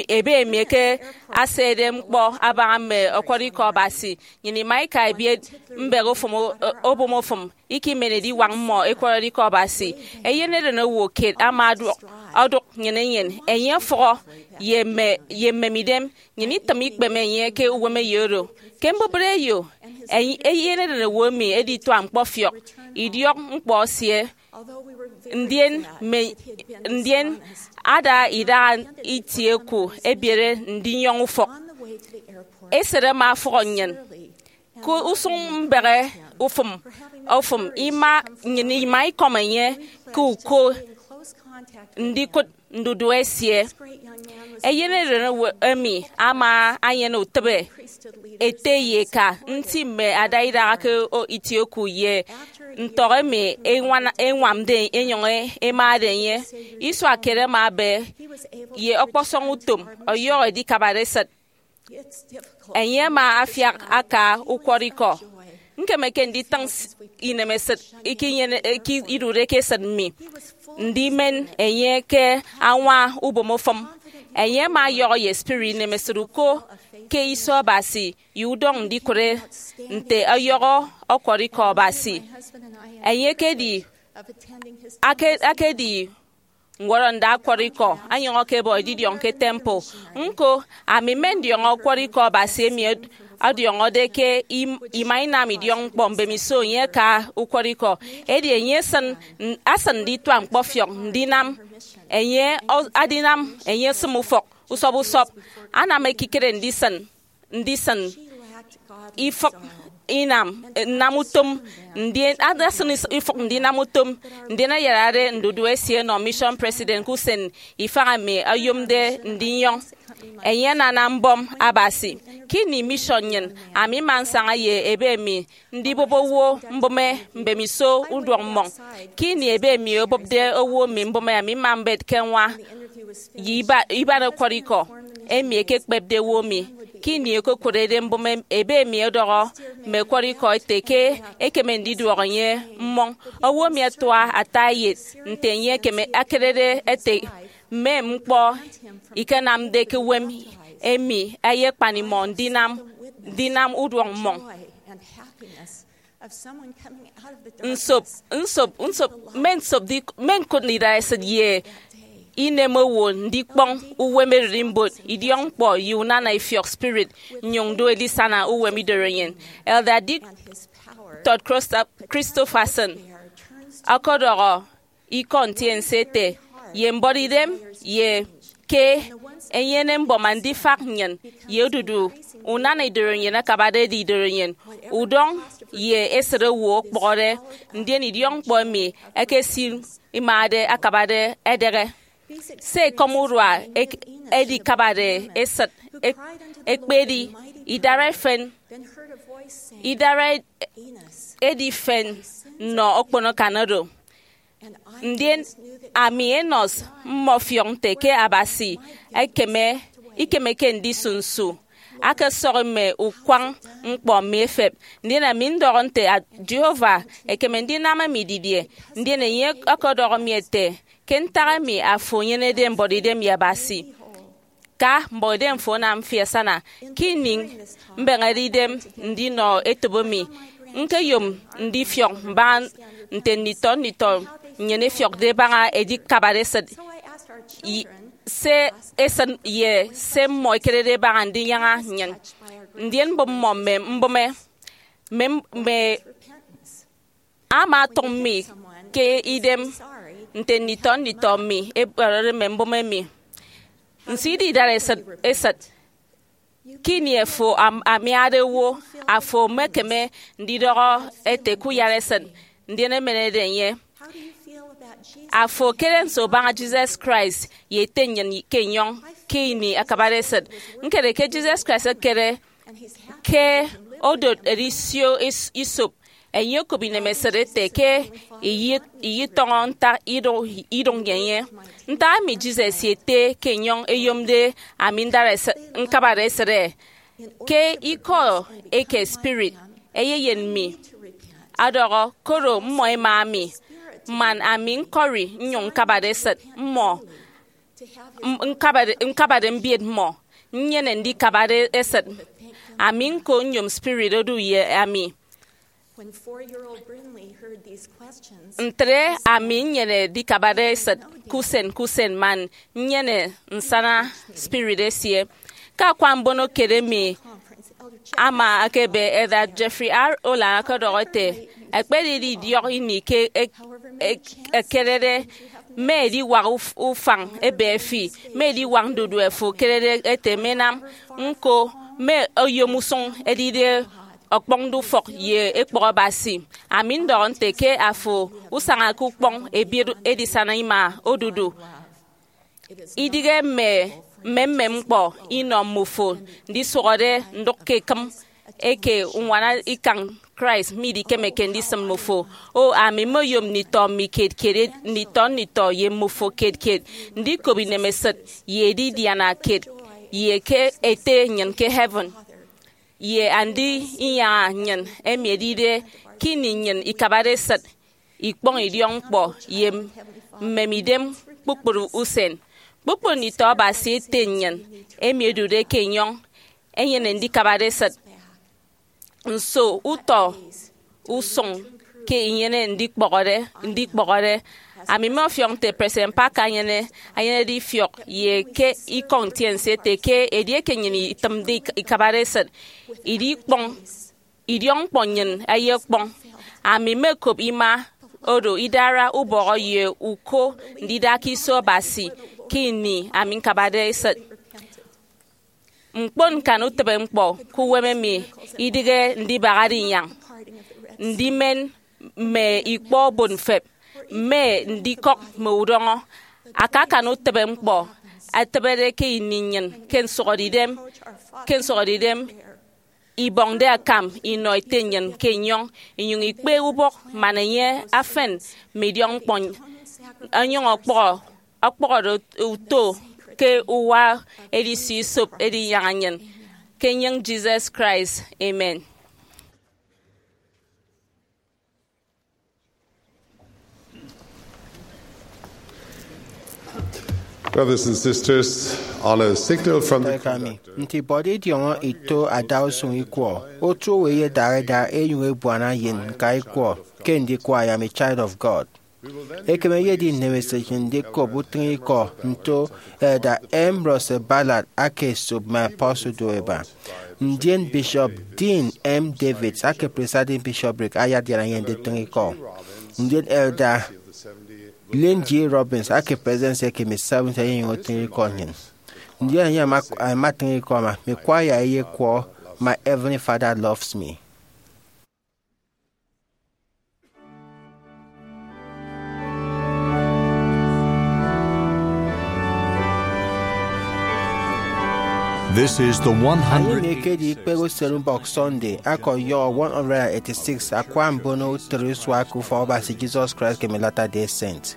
ebe emi eke asede ñkpọ abaña mme ọkwọrọ ikọ Abasi, nnyịn ima ika ebiet mbehe obomofụm ikimen ediwak mmọ ẹkwọrọde ikọ Abasi. Eyeneren owo kiet ama ọdụk nnyịn enyịn. Enye ọfụhọ ye mme ye mmemidem. Nnyịn itịm ikpeme enye ke uwemeyo oro. Ke mbubịt eyo, eyeneren owo emi edituak ñkpọfiọk idiọk ñkpọ esie. Ndien mme ndien ada idaha itie oku ebiere ndinyọñ ufọk. Esịt ama ọfụhọ nnyịn. Ke usụñ mbehe ofụm ofụm ima nnyịn ima ikọm enye ke uko ndikụt ndudu esie. Eyeneren emi ama enyene utịbe ete ye eka nti mme ada idaha ke itie oku ye ntọk emi ẹñwamde ẹnyụñ ẹmade enye. Isua kiet ama ebe ye ọkpọsọñ utom ọyọhọ edikabade esịt. Enye ama afiak aka ukwọrọikọ. Ñkemeke nditịñ inemesịt ikinyene idude ke esịt mi ndimen enye ke añwa ubomofụm. Enye ama ọyọhọ ye spirit inemesịt uko ke iso Abasi ye udọñ ndikụre nte ọyọhọ ọkwọrọikọ Abasi. Enye ekedi akedi ñwọrọnda ọkwọrọikọ, anyụñ ọkebọ edidiọñ ke temple. Ñko, ami mme ndiọñọ ọkwọrọikọ Abasi emi ọdiọñọde ke ima inam idiọk ñkpọ mbemiso enye aka ukwọrọikọ. Edi enye asịn ndituak ñkpọfiọk ndinam enye adinam enye esịm ufọk usọp usọp, anam ekikere ndisịn ndisịn ifịk inam nnam utom ndien adasịn ifịk ndinam utom ndien ayarade ndudu esie nọ mission president ke usen ifañ emi oyomde ndinyọñ. Enye anana mbọm Abasi. Ke ini mission nnyịn, ami mma nsaña ye ebe mi ndibụp owo mbụme mbemiso uduọk mmọñ. Ke ini ebe mi obụpde owo mi mbụme, ami mma mbet ke ñwa ye iba- iban ẹkwọrọ ikọ emi ẹkekpepde owo mi. Ke ini ẹkokụrede mbụme, ebe mi ọdọhọ mme ẹkwọrọ ikọ ẹte ke ẹkeme ndiduọk enye mmọñ. Owo mi atua ata eyet nte enye ekeme akerede ete mme ñkpọ ikenamde ke uwem emi ẹyekpan imọ ndinam ndinam uduọk mmọñ. Nsop nsop nsop mme nsop di- mme ñkụt idareset ye inem owo ndikpọñ uwem ererimbot, idiọkñkpọ ye unana ifiọk spirit, nnyụñ do edisana uwem idoroenyen. Elder Dick Todd Christofferson ọkọdọhọ ikọ ntiense ete, ye mbuọtidem ye ke enyene mbọm andifak nnyịn ye odudu unana idoroenyen akabade edi idoroenyen, udọñ ye esịt owo okpụhọde, ndien idiọkñkpọ emi ẹkesimade akabade edehe. Se ekọm urua ek- edikabade esịt ek- ekpedi idara efen idara edi fen nnọ okpono akan oro. Ndien ami Enos mmọfiọk nte ke Abasi ekeme ikemeke ndisu nsu akesọhi mme ukwañ ñkpọ mi efep. Ndien ami ndọhọ nte, "A- Jehovah ekeme ndinam emi didie?" Ndien enye ọkọdọhọ mi ete, "Ke ntak emi afo enyenede mbuọtidem ye Abasi, ka mbuọtidem fo anam fi asana." Ke ini mbeñede idem ndinọ etop emi, ñkeyom ndifiọk mbaña nte nditọ nditọ nnyịn ẹfiọkde ẹbaña edikabade esịt, i- se esịt ye se mmọ ẹkerede ẹbaña ndinyaña nnyịn. Ndien mbụp mmọ mme mbụme mme mme ama atụñ mi ke idem nte nditọ nditọ mi ẹkperede mme mbụme mi. Nso idi idareset esịt? Ke ini afo am- amiade owo, afo emekeme ndidọhọ ete ke uyara esịt, ndien emenede enye. Afo ekere nso abaña Jesus Christ ye Ete nnyịn ke enyọñ ke ini akabade esịt? Ñkere ke Jesus Christ ekere ke odot edisio is- isop. Enye okop inemesịt ete ke iyi- iyitọñọ ntak ido- idụñ ye enye. Ntak emi Jesus ye Ete ke enyọñ eyomde ami ndara esịt- ñkabade esịt? Ke ikọ eke spirit eyeyen mi ọdọhọ, koro mmọ ẹma mi, man ami ñkọri nnyụñ ñkabade esịt mmọ, m- ñkabade ñkabade mbiet mmọ, nnyene ndikabade esịt. Ami ñko nyom spirit odu ye ami. Ntre ami nnyene ndikabade esịt ke usen ke usen man nnyene nsana spirit esie. Ke akwa mbono kiet emi ama ekebe, Elder Jeffrey R. Holland ọkọdọhọ ete, "Ekpedidi idiọk ini ke ek- ek- ekerede mme ediwak uf- ufañ ebe fi, mme ediwak ndudue fo ekerede ete menam, ñko mme oyom usụñ edide ọkpọñde ufọk ye ekpọk Abasi." Ami ndọhọ nte ke afo usañake ukpọñ ebiet edisana ima odudu. Idịghe mme mmemmem ñkpọ inọ mmofo ndisụhọde ndụk ke ekịm eke uñwana ikañ Christ midikemeke ndisịm mmofo. O, ami mmoyom nditọ mi kiet kiet, nditọ nditọ ye mmofo kiet kiet, ndikop inemesịt ye edidiana kiet ye ke Ete nnyịn ke heaven ye Andi inyaña nnyịn emi edide ke ini nnyịn ikabade esịt, ikpọñ idiọkñkpọ ye mmemidem kpukpru usen. Kpukpru nditọ Abasi Ete nnyịn emi ẹdude ke enyọñ ẹnyene ndikabade esịt. Nso utọ usụñ ke inyene ndikpọhọde ndikpọhọde? Ami mmọfiọk nte President Parker enyene enyenede ifiọk ye ke ikọ ntiense ete ke edieke nnyịn itịmde ik- ikabade esịt, idikpọñ idiọkñkpọ nnyịn eyekpọñ. Ami mmekop ima oro idara ubọhọ ye uko ndida ke iso Abasi ke ini ami ñkabade esịt. Ñkpon ñkan utịbeñkpọ ke uwem emi idịghe ndibahade inyañ, ndimen mme ikpọ obot mfep, mme ndikọk mme udọñọ. Akakan utịbeñkpọ atịbede ke ini nnyịn ke nsụhọdeidem ke nsụhọdeidem ibọñde akam inọ ete nnyịn ke enyọñ, inyụñ ikpe ubọk man enye afen mme idiọkñkpọ, onyụñ ọkpọhọ ọkpọhọde uto ke uwa edisio isop edinyaña nnyịn ke enyịñ Jesus Christ. Amen. Brothers and sisters, on a signal from the Nte emi, conductor, nte ibọde idiọñọ ito adausụñ ikwọ, otu owo eyedaha eda enyụñ ebuana ye ñka ikwọ ke ndikwa I Am a Child of God. Ekem eyedi nnemeset nnyịn ndikop utịñikọ nto Elder M. Russell Ballard aka esop mme apostle do eba. Ndien Bishop Dean M. Davids aka Presiding Bishopric ayadiana ye nditịñikọ. Ndien Elder Lynn G. Robbins aka Presidency eke mme Seventh eyenyụñ otịñikọ nnyịn. Ndien enye ama ama atịñikọ ama mme choir eyekwọ My Heavenly Father Loves Me. This is the Anie emi one hundred ekedi ikpehe usen ubọk Sunday, akọyọhọ one hundred eighty-six akwa mbono utịt usua ke Ufọkabasi Jesus Christ ke mme Latter-day Saint.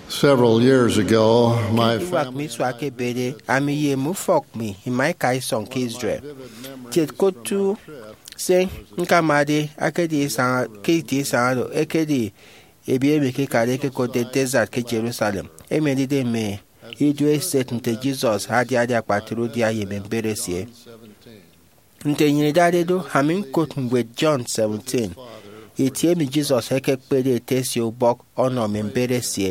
Several years ago, my Iwak family mi suak ebede, ami ye mme ufọk mi ima ika isọñ ke Israel. Kiet ke otu se ñkamade akedi isañ, ke itie isañ oro ekedi ebiet emi ekekade ekekotde Desert ke Jerusalem, emi edide mme ido eset nte Jesus adiade akpatre udia ye mme mbet esie. Nte nnyịn idade do, ami ñkot ñwed John seventeen, itie emi Jesus ekekpede Ete esie ubọk ọnọ mme mbet esie.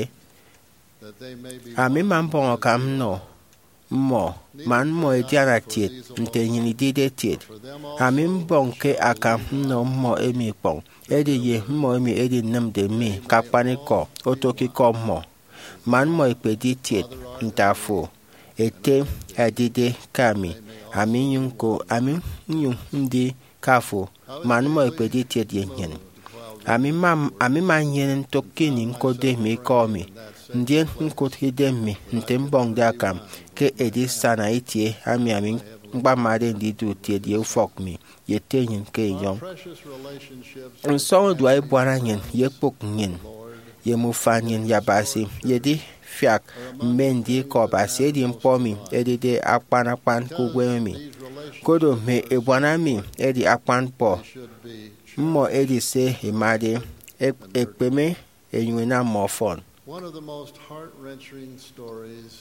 Ami mma mbọñ akam nnọ mmọ, man mmọ ẹdiana kiet nte nnyịn idide kiet. Ami mbọñke akam nnọ mmọ emi ikpọñ, edi ye mmọ emi ẹdinịmde mi ke akpanikọ oto ke ikọ mmọ, man mmọ ẹkpedi kiet nte afo, Ete, ẹdide ke ami, ami nnyụñ ñko, ami nnyụñ ndi ke afo, man mmọ ẹkpedi kiet ye nnyịn. Ami mma, ami mma nnyene ntụk ke ini ñkotde mme ikọ emi, ndien ñkụt idem mi nte mbọñde akam ke edisana itie emi ami ñkpamade ndidu kiet ye ufọk mi ye ete nnyịn ke enyọñ. Nsọñurua ebuana nnyịn ye ekpụk nnyịn ye mme ufan nnyịn ye Abasi ye edifiak mme ndikọ Abasi edi ñkpọ emi edide akpan akpan ke uwem emi. Koro mme ebuana emi edi akpan ñkpọ, mmọ edi se ẹmade, ẹk- ẹkpeme, ẹnyụñ ẹnam mmọ ọfọn. One of the most heart-wrenching stories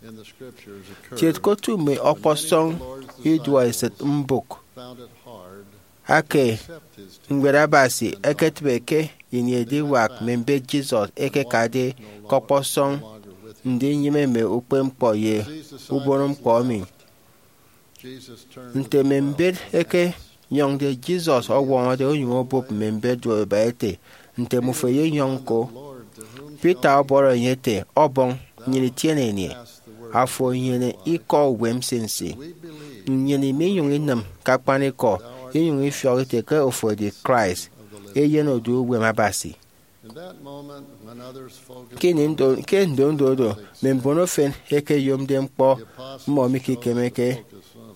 in the scriptures occurred Kiet ke otu mme when many ọkpọsọñ of the Lord's iduọesịt disciples mbụk found it hard ake to accept his teaching ñwed Abasi and love. Eketịbe ke ini ediwak mme mbet Jesus ekekade ke ọkpọsọñ ndinyịme mme ukpepñkpọ ye ubonoñkpọ emi. Nte mme mbet ẹkenyọñde, Jesus ọwọñọde onyụñ obụp mme mbet duoiba ete, Nte mmufo ẹyenyọñ ñko? Peter ọbọrọ enye ete, Ọbọñ, nnyịn itiene enye. Afo enyene ikọ uwem nsinsi. Nnyịn minyụñ inịm ke akpanikọ inyụñ ifiọk ite ke ofo edi Christ, Eyen odu uwem Abasi. Ke ini ndo- ke ndondo do mme mbon efen ẹkeyomde ñkpọ mmọ mikekemeke,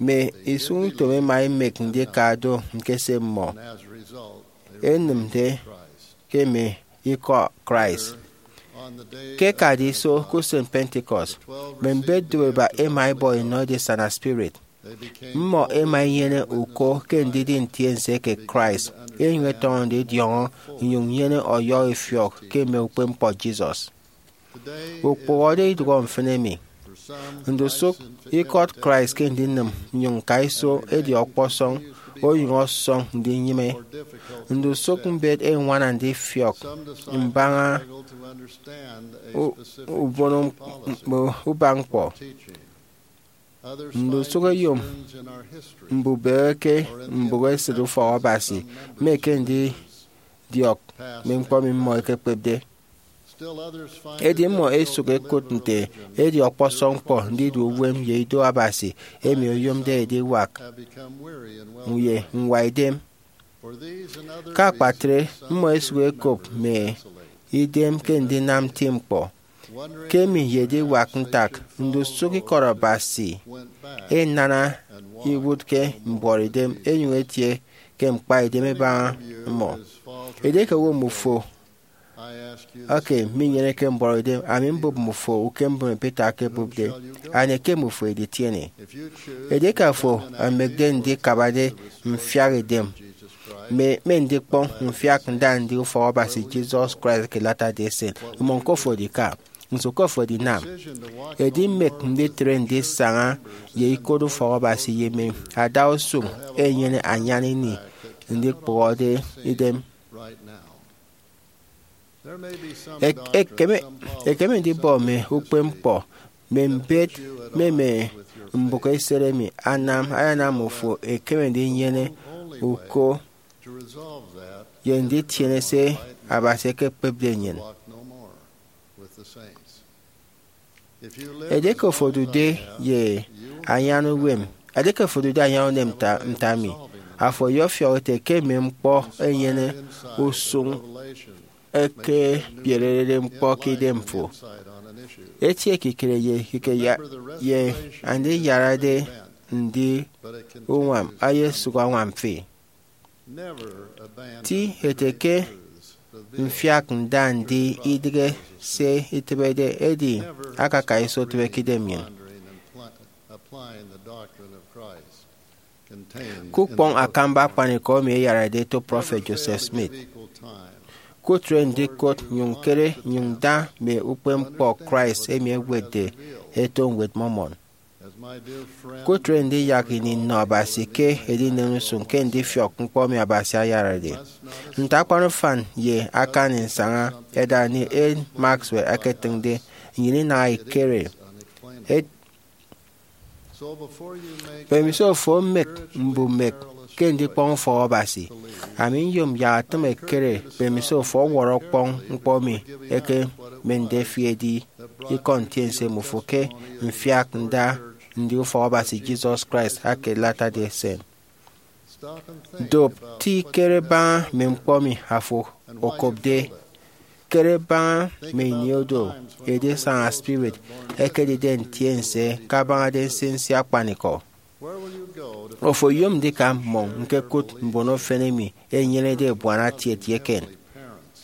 mme isụñutom ẹma ẹmek ndika do ñkese mmọ ẹnịmde ke mme ikọ Christ. Ke ẹkade iso ke usen Pentecost, mme mbet duoiba ẹma ẹbọ enọ edisana spirit. Mmọ ẹma ẹnyene uko ke ndidi ntiense eke Christ, ẹnyụñ ẹtọñọ ndidiọñọ nnyụñ nnyene ọyọhọ ifiọk ke mme ukpepñkpọ Jesus. Ukpụhọde idụhe mfịn emi. Ndusụk ikọt Christ ke ndinịm nnyụñ ñka iso edi ọkpọsọñ, onyụñ ọsọñ ndinyịme. Ndusụk mbet ẹñwana ndifiọk mbaña u- ubono ubak ñkpọ. Ndusụk ẹyom mbubehe ke mbụk esịt ufọk Abasi mme ke ndidiọk mme ñkpọ emi mmọ ẹkekpepde. Edi mmọ ẹsụk ẹkụt nte edi ọkpọsọñ ñkpọ ndidu uwem ye ido Abasi emi oyomde ediwak ye ñwaidem. Ke akpatre, mmọ ẹsụk ẹkop mme idem ke ndinam nti ñkpọ. Ke emi ye ediwak ntak, ndusụk ikọt Abasi ẹnana iwụt ke mbuọtidem ẹnyụñ ẹtie ke ñkpaidem ẹbaña mmọ. Edieke owo mmufo eke minyeneke mbuọtidem, ami mbụp mmufo ukem mbon Peter ekebụpde, anie ke mmufo editiene? Edieke afo emekde ndikabade mfiak idem mme mme ndikpọñ mfiak nda ndi ufọk Abasi Jesus Christ ke Latter-day Saint, mmọñ ke ofo edika. Nso ke ofo edinam? Edimek nditre ndisaña ye ikot ufọk Abasi ye mme adausụñ enyene anyan ini ndikpụhọde idem. Ek- ekeme ekeme ndibọ mme ukpepñkpọ mme mbet mme mme mbụk eset emi anam ayanam ofo ekeme ndinyene uko ye nditiene se Abasi ekekpepde nnyịn. Edieke ofo odude ye anyan uwem, edieke ofo odude anyan uwem nta- nte ami, afo ọyọfiọk ete ke mme ñkpọ ẹnyene usụñ ẹkebierede ñkpọ ke idemfo. Etie ekikere ye ekikere ye andiyarade ndi uñwam ayesụk añwam fi. Ti ete ke mfiak nda ndi idịghe se itịbede, edi akaka iso tịbe ke idem nnyịn. Ke ukpọñ akamba akpanikọ emi ẹyarade eto prọfet Joseph Smith, kutre ndikot nnyụñ ñkere nnyụñ nda mme ukpepñkpọ Christ emi ẹwetde ẹto Ñwed Mormon. Kutre ndiyak ini nnọ Abasi ke edinen usuñ ke ndifiọk ñkpọ emi Abasi ayarade. Nte akpan ufan ye akan nsaña Elder Neal A. Maxwell eketịñde, nnyịn inaha ikere. Mbemiso ofo omek mbumek ke ndikpọñ ufọk Abasi, ami nyom yak atịm ekere mbemiso ofo ọwọrọ ọkpọñ ñkpọ emi ẹkemende fi edi ikọ ntiense mmufo ke mfiak nda ndi ufọk Abasi Jesus Christ ake Latter-day Saint. Dop ti kere baña mme ñkpọ emi afo okopde. Kere baña mme ini oro edisaña spirit ekedide ntiense kabañade nsinsi akpanikọ. Ofo oyom ndika mmọñ ñkekụt mbon efen emi ẹnyenede ebuana tiet ye eken,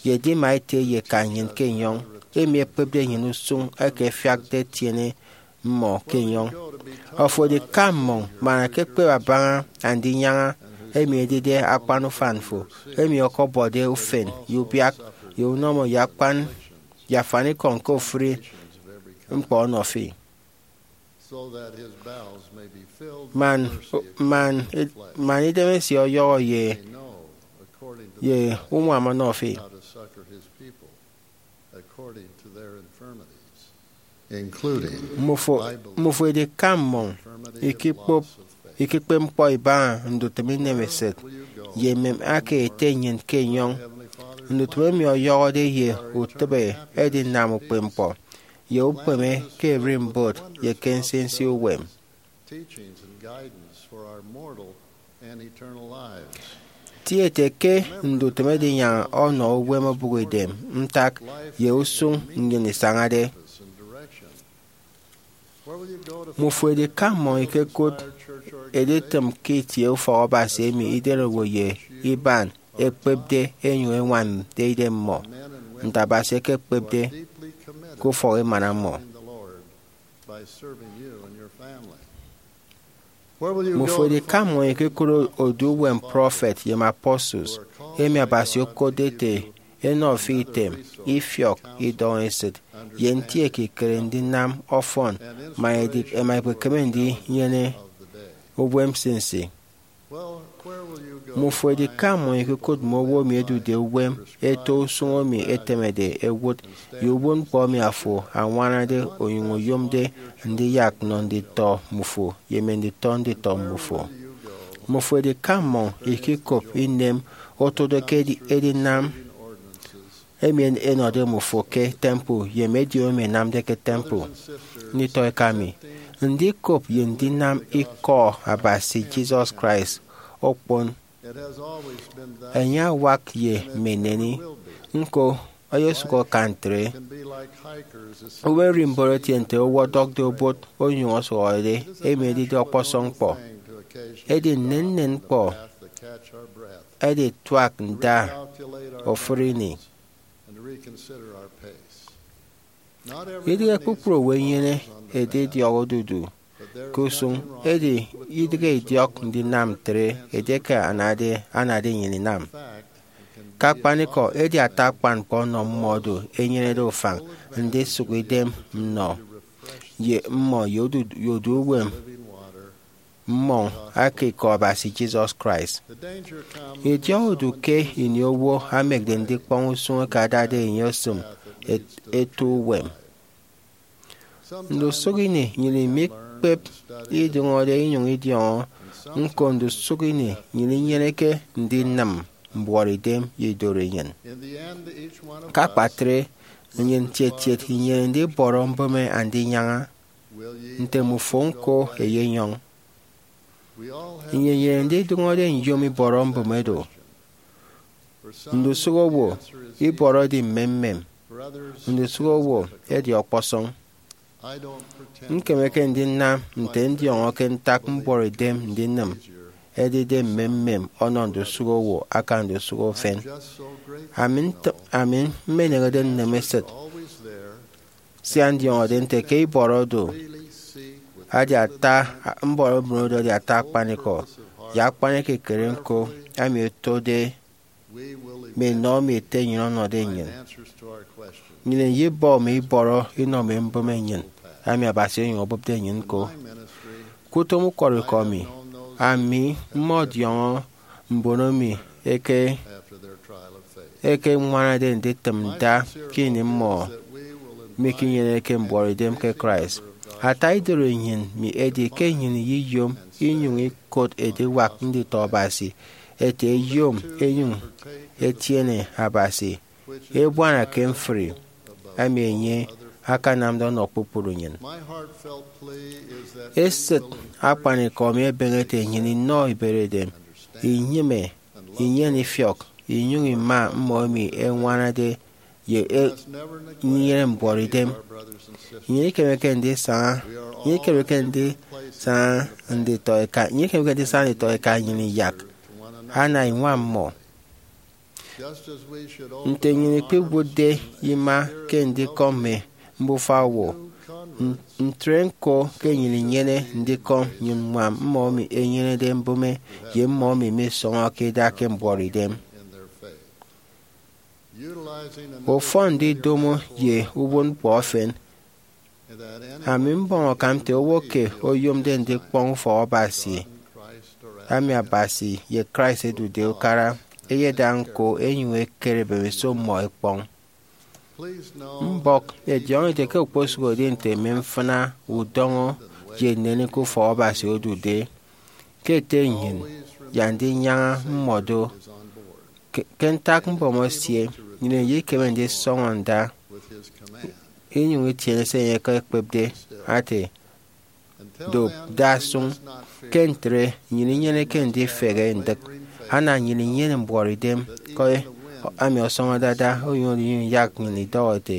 ye edima ete ye eka nnyịn ke enyọñ, emi ẹkpepde nnyịn usụñ eke ẹfiakde ẹtiene mmọ ke enyọñ. Ofo edika mmọñ man ẹkekpep abaña Andinyaña, emi edide akpan ufan fo, emi ọkọbọde ufen ye ubiak ye unọmọ ye akpan ye afanikọñ ke ofụri ñkpọ ọnọ fi, man, man, man idemesie ọyọhọ ye, ye uñwam ọnọ fi. Mmufo, mmufo edika mmọñ ikikpep ñkpọ ibaña ndutịm inemesịt ye emem aka ete nnyịn ke enyọñ. Ndutịm emi ọyọhọde ye utịbe edinam ukpepñkpọ ye ukpeme ke ererimbot ye ke nsinsi uwem. Ti ete ke ndutịm edinyaña ọnọ uwem obụkidem, ntak, ye usụñ nnyịn isañade. Mmufo edika mmọñ ikekụt editịm ke itie ufọk Abasi emi idenowo ye iban ẹkpepde ẹnyụñ ẹñwamde idemmọ, nte Abasi ekekpepde ke ufọk emana mmọ. Mmufo edika mmọñ ikekụt odu uwem prọfet ye mme apostles, emi Abasi okotde ete ẹnọ fi item, ifiọk, idọñesịt, ye nti ekikere ndinam ọfọn, man edi ẹma ẹkpekeme ndinyene uwem nsinsi. Mmufo edika mmọñ ikekụt mme owo emi ẹdude uwem ẹto usụñ emi ẹtemede ẹwụt ye uwụtñkpọ emi afo añwanade onyụñ oyomde ndiyak nnọ nditọ mmufo ye mme nditọ nditọ mmufo. Mmufo edika mmọñ ikikop inem otode ke edi-, edinam emi en-, ẹnọde mmufo ke temple ye mme ediomi emi ẹnamde ke temple. Nditọ eka mi, ndikop ye ndinam Ikọ Abasi Jesus Christ okpon. Enye awak ye mme eneni, ñko, eyesụk akan ntre. Owo ererimbot etie nte owo ọdọkde obot onyụñ ọsụhọde, emi edide ọkpọsọñ ñkpọ. Edi nnennen ñkpọ ẹdituak nda ofụri ini. Idịghe kpukpru owo ẹnyene edidiọk odudu ke usụñ, edi idịghe idiọk ndinam ntre edieke anade, anade nnyịn inam. Ke akpanikọ, edi ata akpan ñkpọ ọnọ mmọ oro ẹnyenede ufañ ndisụk idem nnọ ye mmọ ye odu-, ye odu uwem mmọñ aka Ikọ Abasi Jesus Christ. Idiọk odu ke ini owo amekde ndikpọñ usụñ eke adade enye osịm et-, eto uwem. Ndusụk ini nnyịn imikpep idụñọde inyụñ idiọñọ, ñko ndusụk ini nnyịn inyeneke ndinịm mbuọtidem ye idoro enyịn. Ke akpatre, nnyịn ntietiet inyene ndibọrọ mbụme Andinyaña, nte mmufo ñko ẹyenyọñ. Nnyịn inyene ndidụñọde nyom ibọrọ mbụme do. Ndusụk owo, ibọrọ edi mmemmem. Ndusụk owo, edi ọkpọsọñ. Ñkemeke ndinam nte ndiọñọke ntak mbuọtidem ndinịm edide mmemmem ọnọ ndusụk owo aka ndusụk efen. Ami nt-, ami mmeneñede nneme esịt, sia ndiọñọde nte ke ibọrọ do edi ata, mbọrọ mbụme do edi ata akpanikọ, ye akpan ekikere ñko, emi otode mme enọ emi Ete nnyịn ọnọde nnyịn. Nnyịn iyibọ mme ibọrọ inọ mme mbụme nnyịn, emi Abasi onyụñ obụpde nnyịn ñko. Kpukpru utom ukwọrọikọ mi, ami mmọdiọñọ mbon emi eke ekeñwanade nditịm nda ke ini mmọ mikinyeneke mbuọtidem ke Christ. Ata idoro nnyịn mi edi ke nnyịn iyiyom inyụñ ikot ediwak nditọ Abasi ete eyom enyụñ etiene Abasi ebuana ke mfri emi enye akanamde ọnọ kpukpru nnyịn. Esịt akpanikọ mi ebeñe ete nnyịn inọ iberedem, inyịme, inyene ifiọk, inyụñ ima mmọ emi ẹñwanade ye e- inyene mbuọtidem. Nnyịn ikemeke ndisaña, nnyịn ikemeke ndisaña nditọ eka, nnyịn ikemeke ndisaña nditọ eka nnyịn iyak ana iñwam mmọ. Nte nnyịn ikpiwụtde ima ke ndikọm mme mbufa owo, n- ntre ñko ke nnyịn inyene ndikọm nnyụñ ññwam mmọ emi ẹnyenede mbụme ye mmọ emi misọñọke ida ke mbuọtidem. Ufọn ndidomo ye uwụtñkpọ efen, ami mbọñ akam nte owo ke oyomde ndikpọñ ufọk Abasi, ami Abasi ye Christ ẹdude ukara, eyeda ñko enyụñ ekere mbemiso mmọ ẹkpọñ. Mbọk ẹdiọñọ ete ke okposụkedi nte mme mfịna, udọñọ, ye nnennen ke ufọk Abasi odude, ke ete nnyịn ya ndinyaña mmọ do. Ke, ke ntak mbọm esie, nnyịn iyekeme ndisọñọ nda inyụñ itiene se enye ekekpepde, ate, dop, da sụñ. Ke ntre, nnyịn inyeneke ndifehe ndịk, ana nnyịn inyene mbuọtidem ke ami ọsọñọ dada onyụñ onyụñ yak nnyịn idọhọ ete,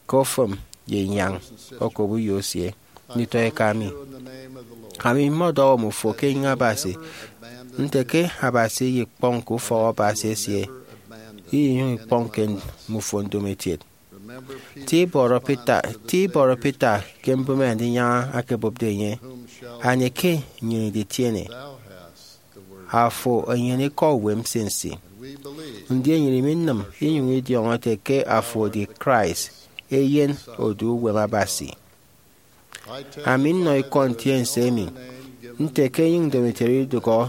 ke ofụm ye inyañ, okop uyo esie. Nditọ eka mi, ami mmọdọhọ mmufo ke enyịñ Abasi nte ke Abasi iyikpọñ ke ufọk Abasi esie, inyụñ ikpọñ ke mmufo ndomokiet. Ti ibọrọ Peter, ti ibọrọ Peter ke mbụme Andinyaña akebụpde enye, anie ke nnyịn iditiene? Afo enyene ikọ uwem nsinsi. Ndien nnyịn iminịm inyụñ idiọñọ ete ke afo edi Christ, Eyen odu uwem Abasi. Ami nnọ ikọ ntiense emi nte ke enyịñ ndomokiet idụhọ,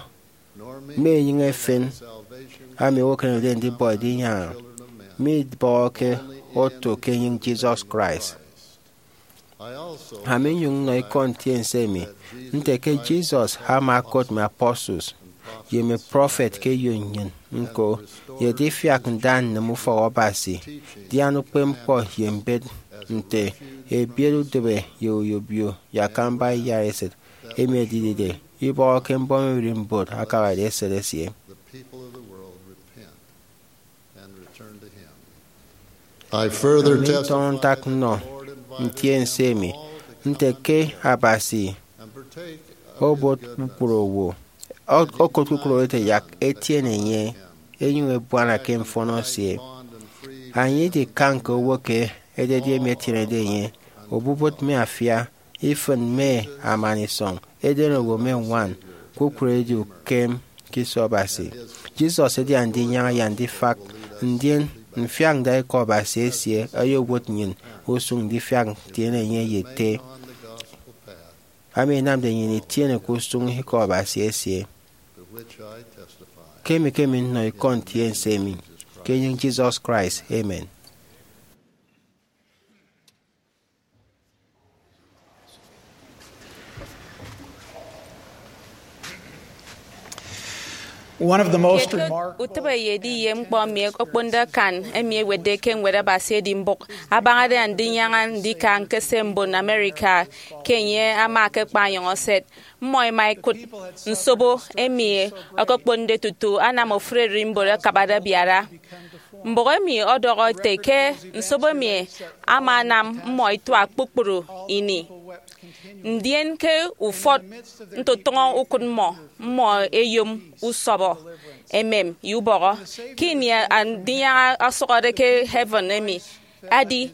mme enyịñ efen emi owo ekenemede ndibọ edinyaña, midibọhọke oto ke enyịñ Jesus Christ. Ami nyụñ nnọ ikọ ntiense emi nte ke Jesus ama okot mme apostles ye mme prophet ke eyo nnyịn ñko, ye edifiak nda nnịm ufọk Abasi, dian ukpepñkpọ ye mbet nte ebiet udịbe ye oyobio ye akamba iyaresịt emi edidide ibọhọke mbọm ererimbot akabade esịt esie. I further Ami ntọñọ testify ntak nnọ ntiense emi nte ke Abasi obot kpukpru owo, o- okot kpukpru owo ete yak etiene enye, enyụñ ebuana ke mfọnọ esie. Anie idikan ke owo ke ededi emi etienede enye, obubịt mme afia, ifịn mme amanisọñ, eden owo mme ñwan, kpukpru edi ukem ke iso Abasi. Jesus edi Andinyaña ye Andifak, ndien mfiak nda ikọ Abasi esie oyowụt nnyịn usụñ ndifiak ntiene enye ye ete, ami inamde nnyịn itiene ke usụñ ikọ Abasi esie. Kemi kemi nnọ ikọ ntiense emi ke enyịñ Jesus Christ. Amen. One of the most Kiet ke remarkable utịp eyedi ye ñkpọ emi okponde akan emi ewetde ke Ñwed Abasi edi mbụk abañade Andinyaña ndika ñkese mbon America ke enye ama akakpa anyọñ eset. Mmọ ẹma ẹkụt nsobo emi okokponde tutu anam ofụri ererimbot akabade abiara. Mbụk emi ọdọhọ ete ke nsobo emi ama anam mmọ ẹtuak kpukpru ini. Ndien ke ufọt ntotụñọ ukụt mmọ, mmọ ẹyom usọbọ, emem, ye ubọhọ. Ke ini Andinyaña ọsụhọde ke heaven emi, adi,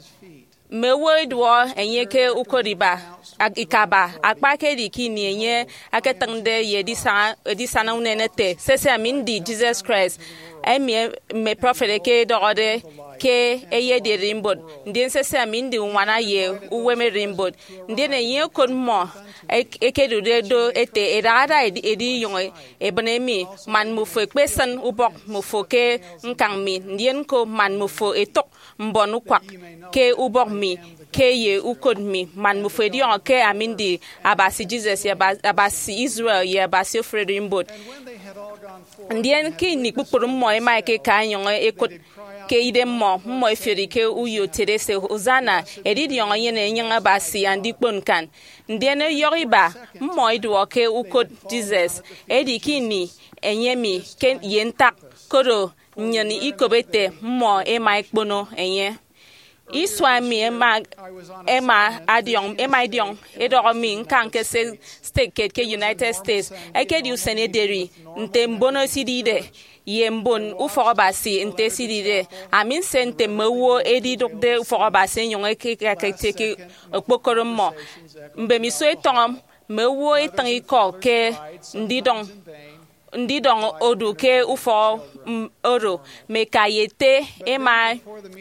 mme owo ẹduọhọ enye ke ukot iba, ak- ikaba, akpa ke edi ke ini enye aketịñde ye edisana, edisana unen ete, Sese, ami ndi Jesus Christ, emi mme prọfet eke edọhọde ke eyedi ererimbot, ndien sese ami ndi uñwana ye uwem ererimbot. Ndien enye okot mmọ ek- ekedude do ete, edahada edi- edinyụñ ebịne mi, man mmufo ekpesịn ubọk mmufo ke ñkañ mi, ndien ñko man mmufo etụk mbon ukwak ke ubọk mi, ke ye ukot mi, man mmufo ediọñọ ke ami ndi Abasi Jesus, ye Aba- Abasi Israel, ye Abasi ofụri ererimbot. Ndien ke ini kpukpru mmọ ẹma ẹkeka ẹnyụñ ẹkụt ke idemmọ, mmọ ẹfiori ke uyo ẹtiede ẹse, Hosanna, edidiọñ enyene enyịñ Abasi andikpon ñkan. Ndien ọyọhọ iba, mmọ iduọ ke ukot Jesus, edi ke ini enye emi ke ye ntak, koro nnyịn ikop ete mmọ ẹma ẹkpono enye. Isua emi ẹma ẹma adiọñ ẹma idiọñ edọhọ mi ñka ñkese stek kiet ke United States. Ekedi usen ederi nte mbono esidide ye mbon ufọk Abasi nte esidide. Ami nse nte mme owo edidụkde ufọk Abasi ẹnyụñ ẹkekakete ke okpokoro mmọ. Mbemiso etọñọ, mme owo etịñ ikọ ke ndidọñ ndidọñ odu ke ufọk, mm, oro mme ka ye ete ẹma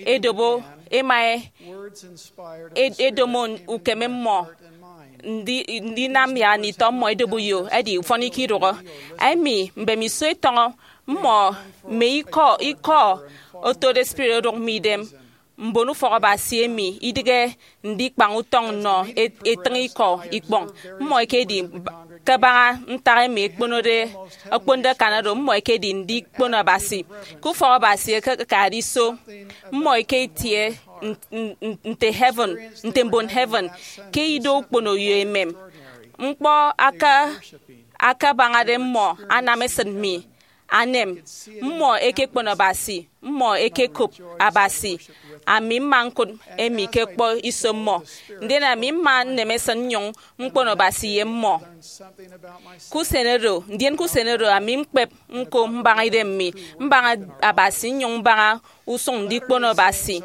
ẹdobo, ẹma ed- edomo ukeme mmọ ndi- ndinam ya nditọ mmọ ẹdobo uyo ẹdi ufọn ikidụhọ. Emi mbemiso etọñọ, mmọ mme ikọ ikọ otode spirit odụk mme idem. Mbon ufọk Abasi emi idịghe ndikpañ utọñ nnọ et- etịñ ikọ ikpọñ. Mmọ ẹkedi kabaña ntak emi ẹkponode, ẹkponde akan oro, mmọ ẹkedi ndikpono Abasi. Ke ufọk Abasi ẹkekade iso, mmọ ẹketie n- n- n- nte heaven, nte mbon heaven, ke ido ukpono ye emem. Ñkpọ aka- akabañade mmọ anam esịt mi anem. Mmọ ẹkekpono Abasi, mmọ ẹkekop Abasi. Ami mma ñkụt emi ke ñkpọ iso mmọ, ndien ami mma nnem esịt nnyụñ ñkpono Abasi ye mmọ. Ke usen oro, ndien ke usen oro, ami ñkpep ñko mbaña idem mi, mbaña Abasi, nnyụñ mbaña usụñ ndikpono Abasi.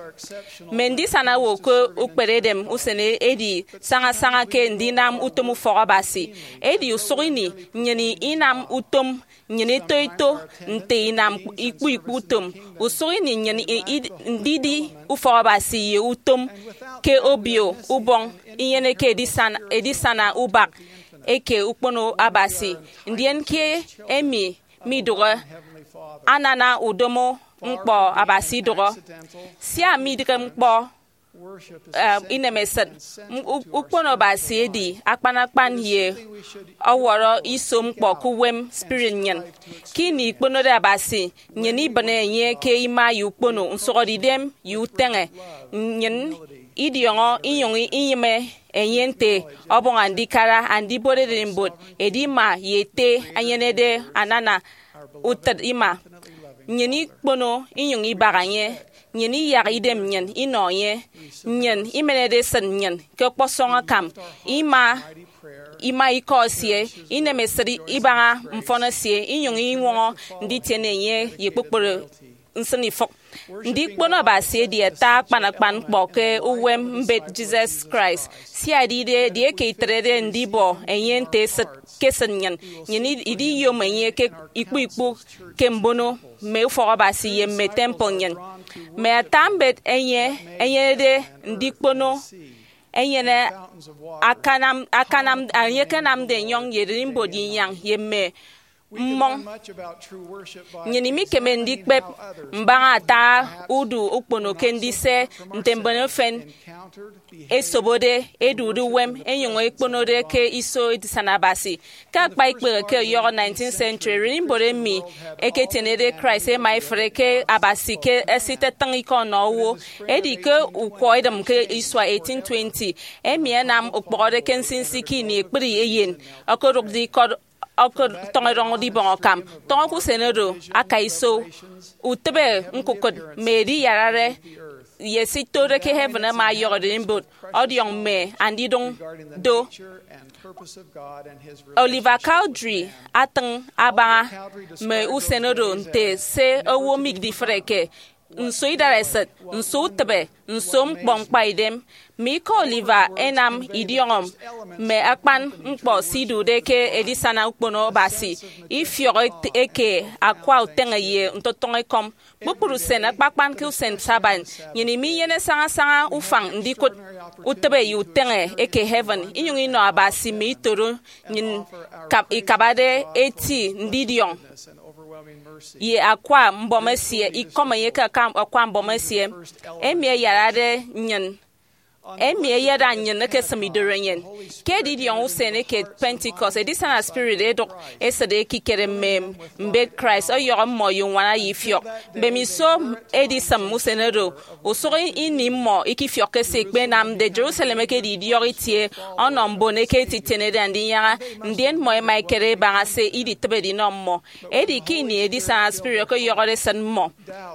Mme ndisana owo ke ukperedem usen edi sañasaña ke ndinam utom ufọk Abasi. Edi usụk ini nnyịn inam utom nnyịn eto eto nte inam ikpu ikpu utom. Usụk ini nnyịn i- i- ndidi ufọk Abasi ye utom ke Obio Ubọñ inyeneke edisana, edisana ubak eke ukpono Abasi. Ndien ke emi midụhe, anana udomo ñkpọ Abasi idụhọ. Sia midịghe ñkpọ eh, inemesịt, m- u- ukpono Abasi edi akpan akpan ye ọwọrọ iso ñkpọ ke uwem spirit nnyịn. Ke ini ikponode Abasi, nnyịn ibịne enye ke ima ye ukpono, nsụhọdeidem ye uteñe. Nnyịn idiọñọ inyụñ inyịme enye nte ọbọñ andikara, andibot ererimbot, edima ye ete anyenede anana utịt ima. Nnyịn ikpono inyụñ ibaha enye. Nnyịn iyak idem nnyịn inọ enye. Nnyịn imenede esịt nnyịn ke ọkpọsọñ akam. Ima ima ikọ esie, inemesịt ibaña mfọn esie, inyụñ iñwọñọ nditiene enye ye kpukpru nsịnifụk. Ndikpono Abasi edi ata akpan akpan ñkpọ ke uwem mbet Jesus Christ, sia edide edieke itrede ndibọ enye nte esịt ke esịt nnyịn, nnyịn idiyom enye ke ikpu ikpu ke mbono mme ufọk Abasi ye mme temple nnyịn. Mme ata mbet enye enyenede ndikpono enyene akanam akanam enye akanamde enyọñ ye ererimbot ye inyañ ye mme mmọñ. Nnyịn imikeme ndikpep mbaña ata udu ukpono ke ndise nte mbon efen ẹsobode, ẹdude uwem, ẹnyụñ ẹkponode ke iso edisana Abasi. Ke akpa ikpehe ke ọyọhọ nineteenth century, ererimbot emi ẹketienede Christ ẹma ẹfre ke Abasi ke esịt etịñ ikọ ọnọ owo. Edi ke ukwọ edịm ke isua eighteen twenty, emi ẹnam okpụhọde ke nsinsi ke ini ekpri eyen okodụkde ikọt, ọkọtọñọrọñ ibọñ akam. Tọñọ ke usen oro, aka iso utịbe ñkukụt mme ediyarare ye se itode ke heaven ama ọyọhọ ererimbot ọdiọñ mme andidụñ do. Oliver Cowdery atịñ abaña mme usen oro nte se owo midifreke. Nso idareset, nso utịbe, nso ñkpọ ñkpaidem! Mme ikọ Oliver ẹnam idiọñọ mme akpan ñkpọ se idude ke edisana ukpono Abasi, ifiọk eke akwa uteñe ye ntotụñekọm. Kpukpru usen, akpakpan ke usen Sabbath, nnyịn minyene sañasaña ufañ ndikụt utịbe ye uteñe eke heaven, inyụñ inọ Abasi mme itoro nnyịn ikabade eti ndidiọñ ye akwa mbọm esie, ikọm enye ke akwa mbọm esie, emi ẹyarade nnyịn, emi ẹyada nnyịn ekesịm idorenyin. Ke edidiọñ usen eke Pentecost, edisana spirit ẹdụk esịt ekikere mme mbet Christ, ọyọhọ mmọ ye uñwana ye ifiọk. Mbemiso edisịm usen oro, usụk ini mmọ ikifiọkke se ikpenamde. Jerusalem ekedi idiọk itie ọnọ mbon eke ẹtitienede Andinyaña, ndien mmọ ẹma ẹkere ẹbaña se iditịbede inọ mmọ. Edi ke ini edisana spirit ọkọyọhọde esịt mmọ,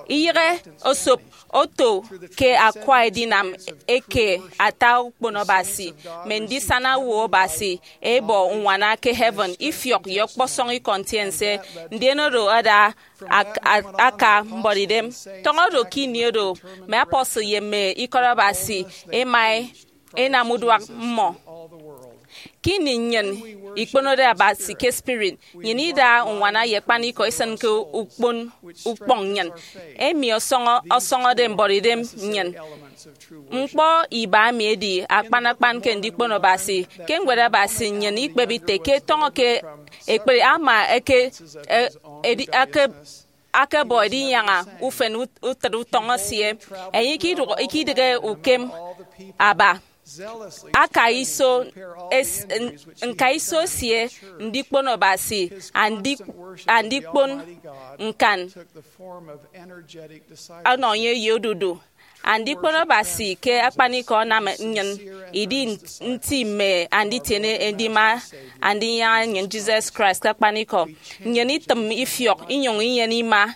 iyịghe osop oto ke akwa edinam eke ata ukpono Abasi, mme ndisana owo Abasi ẹbọ uñwana ke heaven, ifiọk ye ọkpọsọñ ikọ ntiense, ndien oro ada ak- a- aka mboridem. Tọñọ do ke ini oro, mme apostle ye mme ikọt Abasi ẹma ẹnam uduak mmọ. Ke ini nnyịn ikponode Abasi ke spirit, nnyịn ida uñwana ye akpanikọ isịn ke ukpon ukpọñ nnyịn, emi ọsọñọ- ọsọñọde mboridem nnyịn. Ñkpọ iba emi edi akpan akpan ke ndikpono Abasi. Ke Ñwed Abasi, nnyịn ikpep ite ke tọñọ ke ekpri ama eke- e- edi- eke- akebọ edinyaña ufen ut- utịt utọñ esie, enye ikidụk- ikidịghe ukem aba. Aka iso es- n- ñka iso esie, ndikpono Abasi, andi- andikpon ñkan ọnọ enye ye odudu. Andikpon Abasi ke akpanikọ anam nnyịn idi nti mme anditiene edima Andinyaña nnyịn Jesus Christ ke akpanikọ. Nnyịn itịm ifiọk inyụñ inyene ima,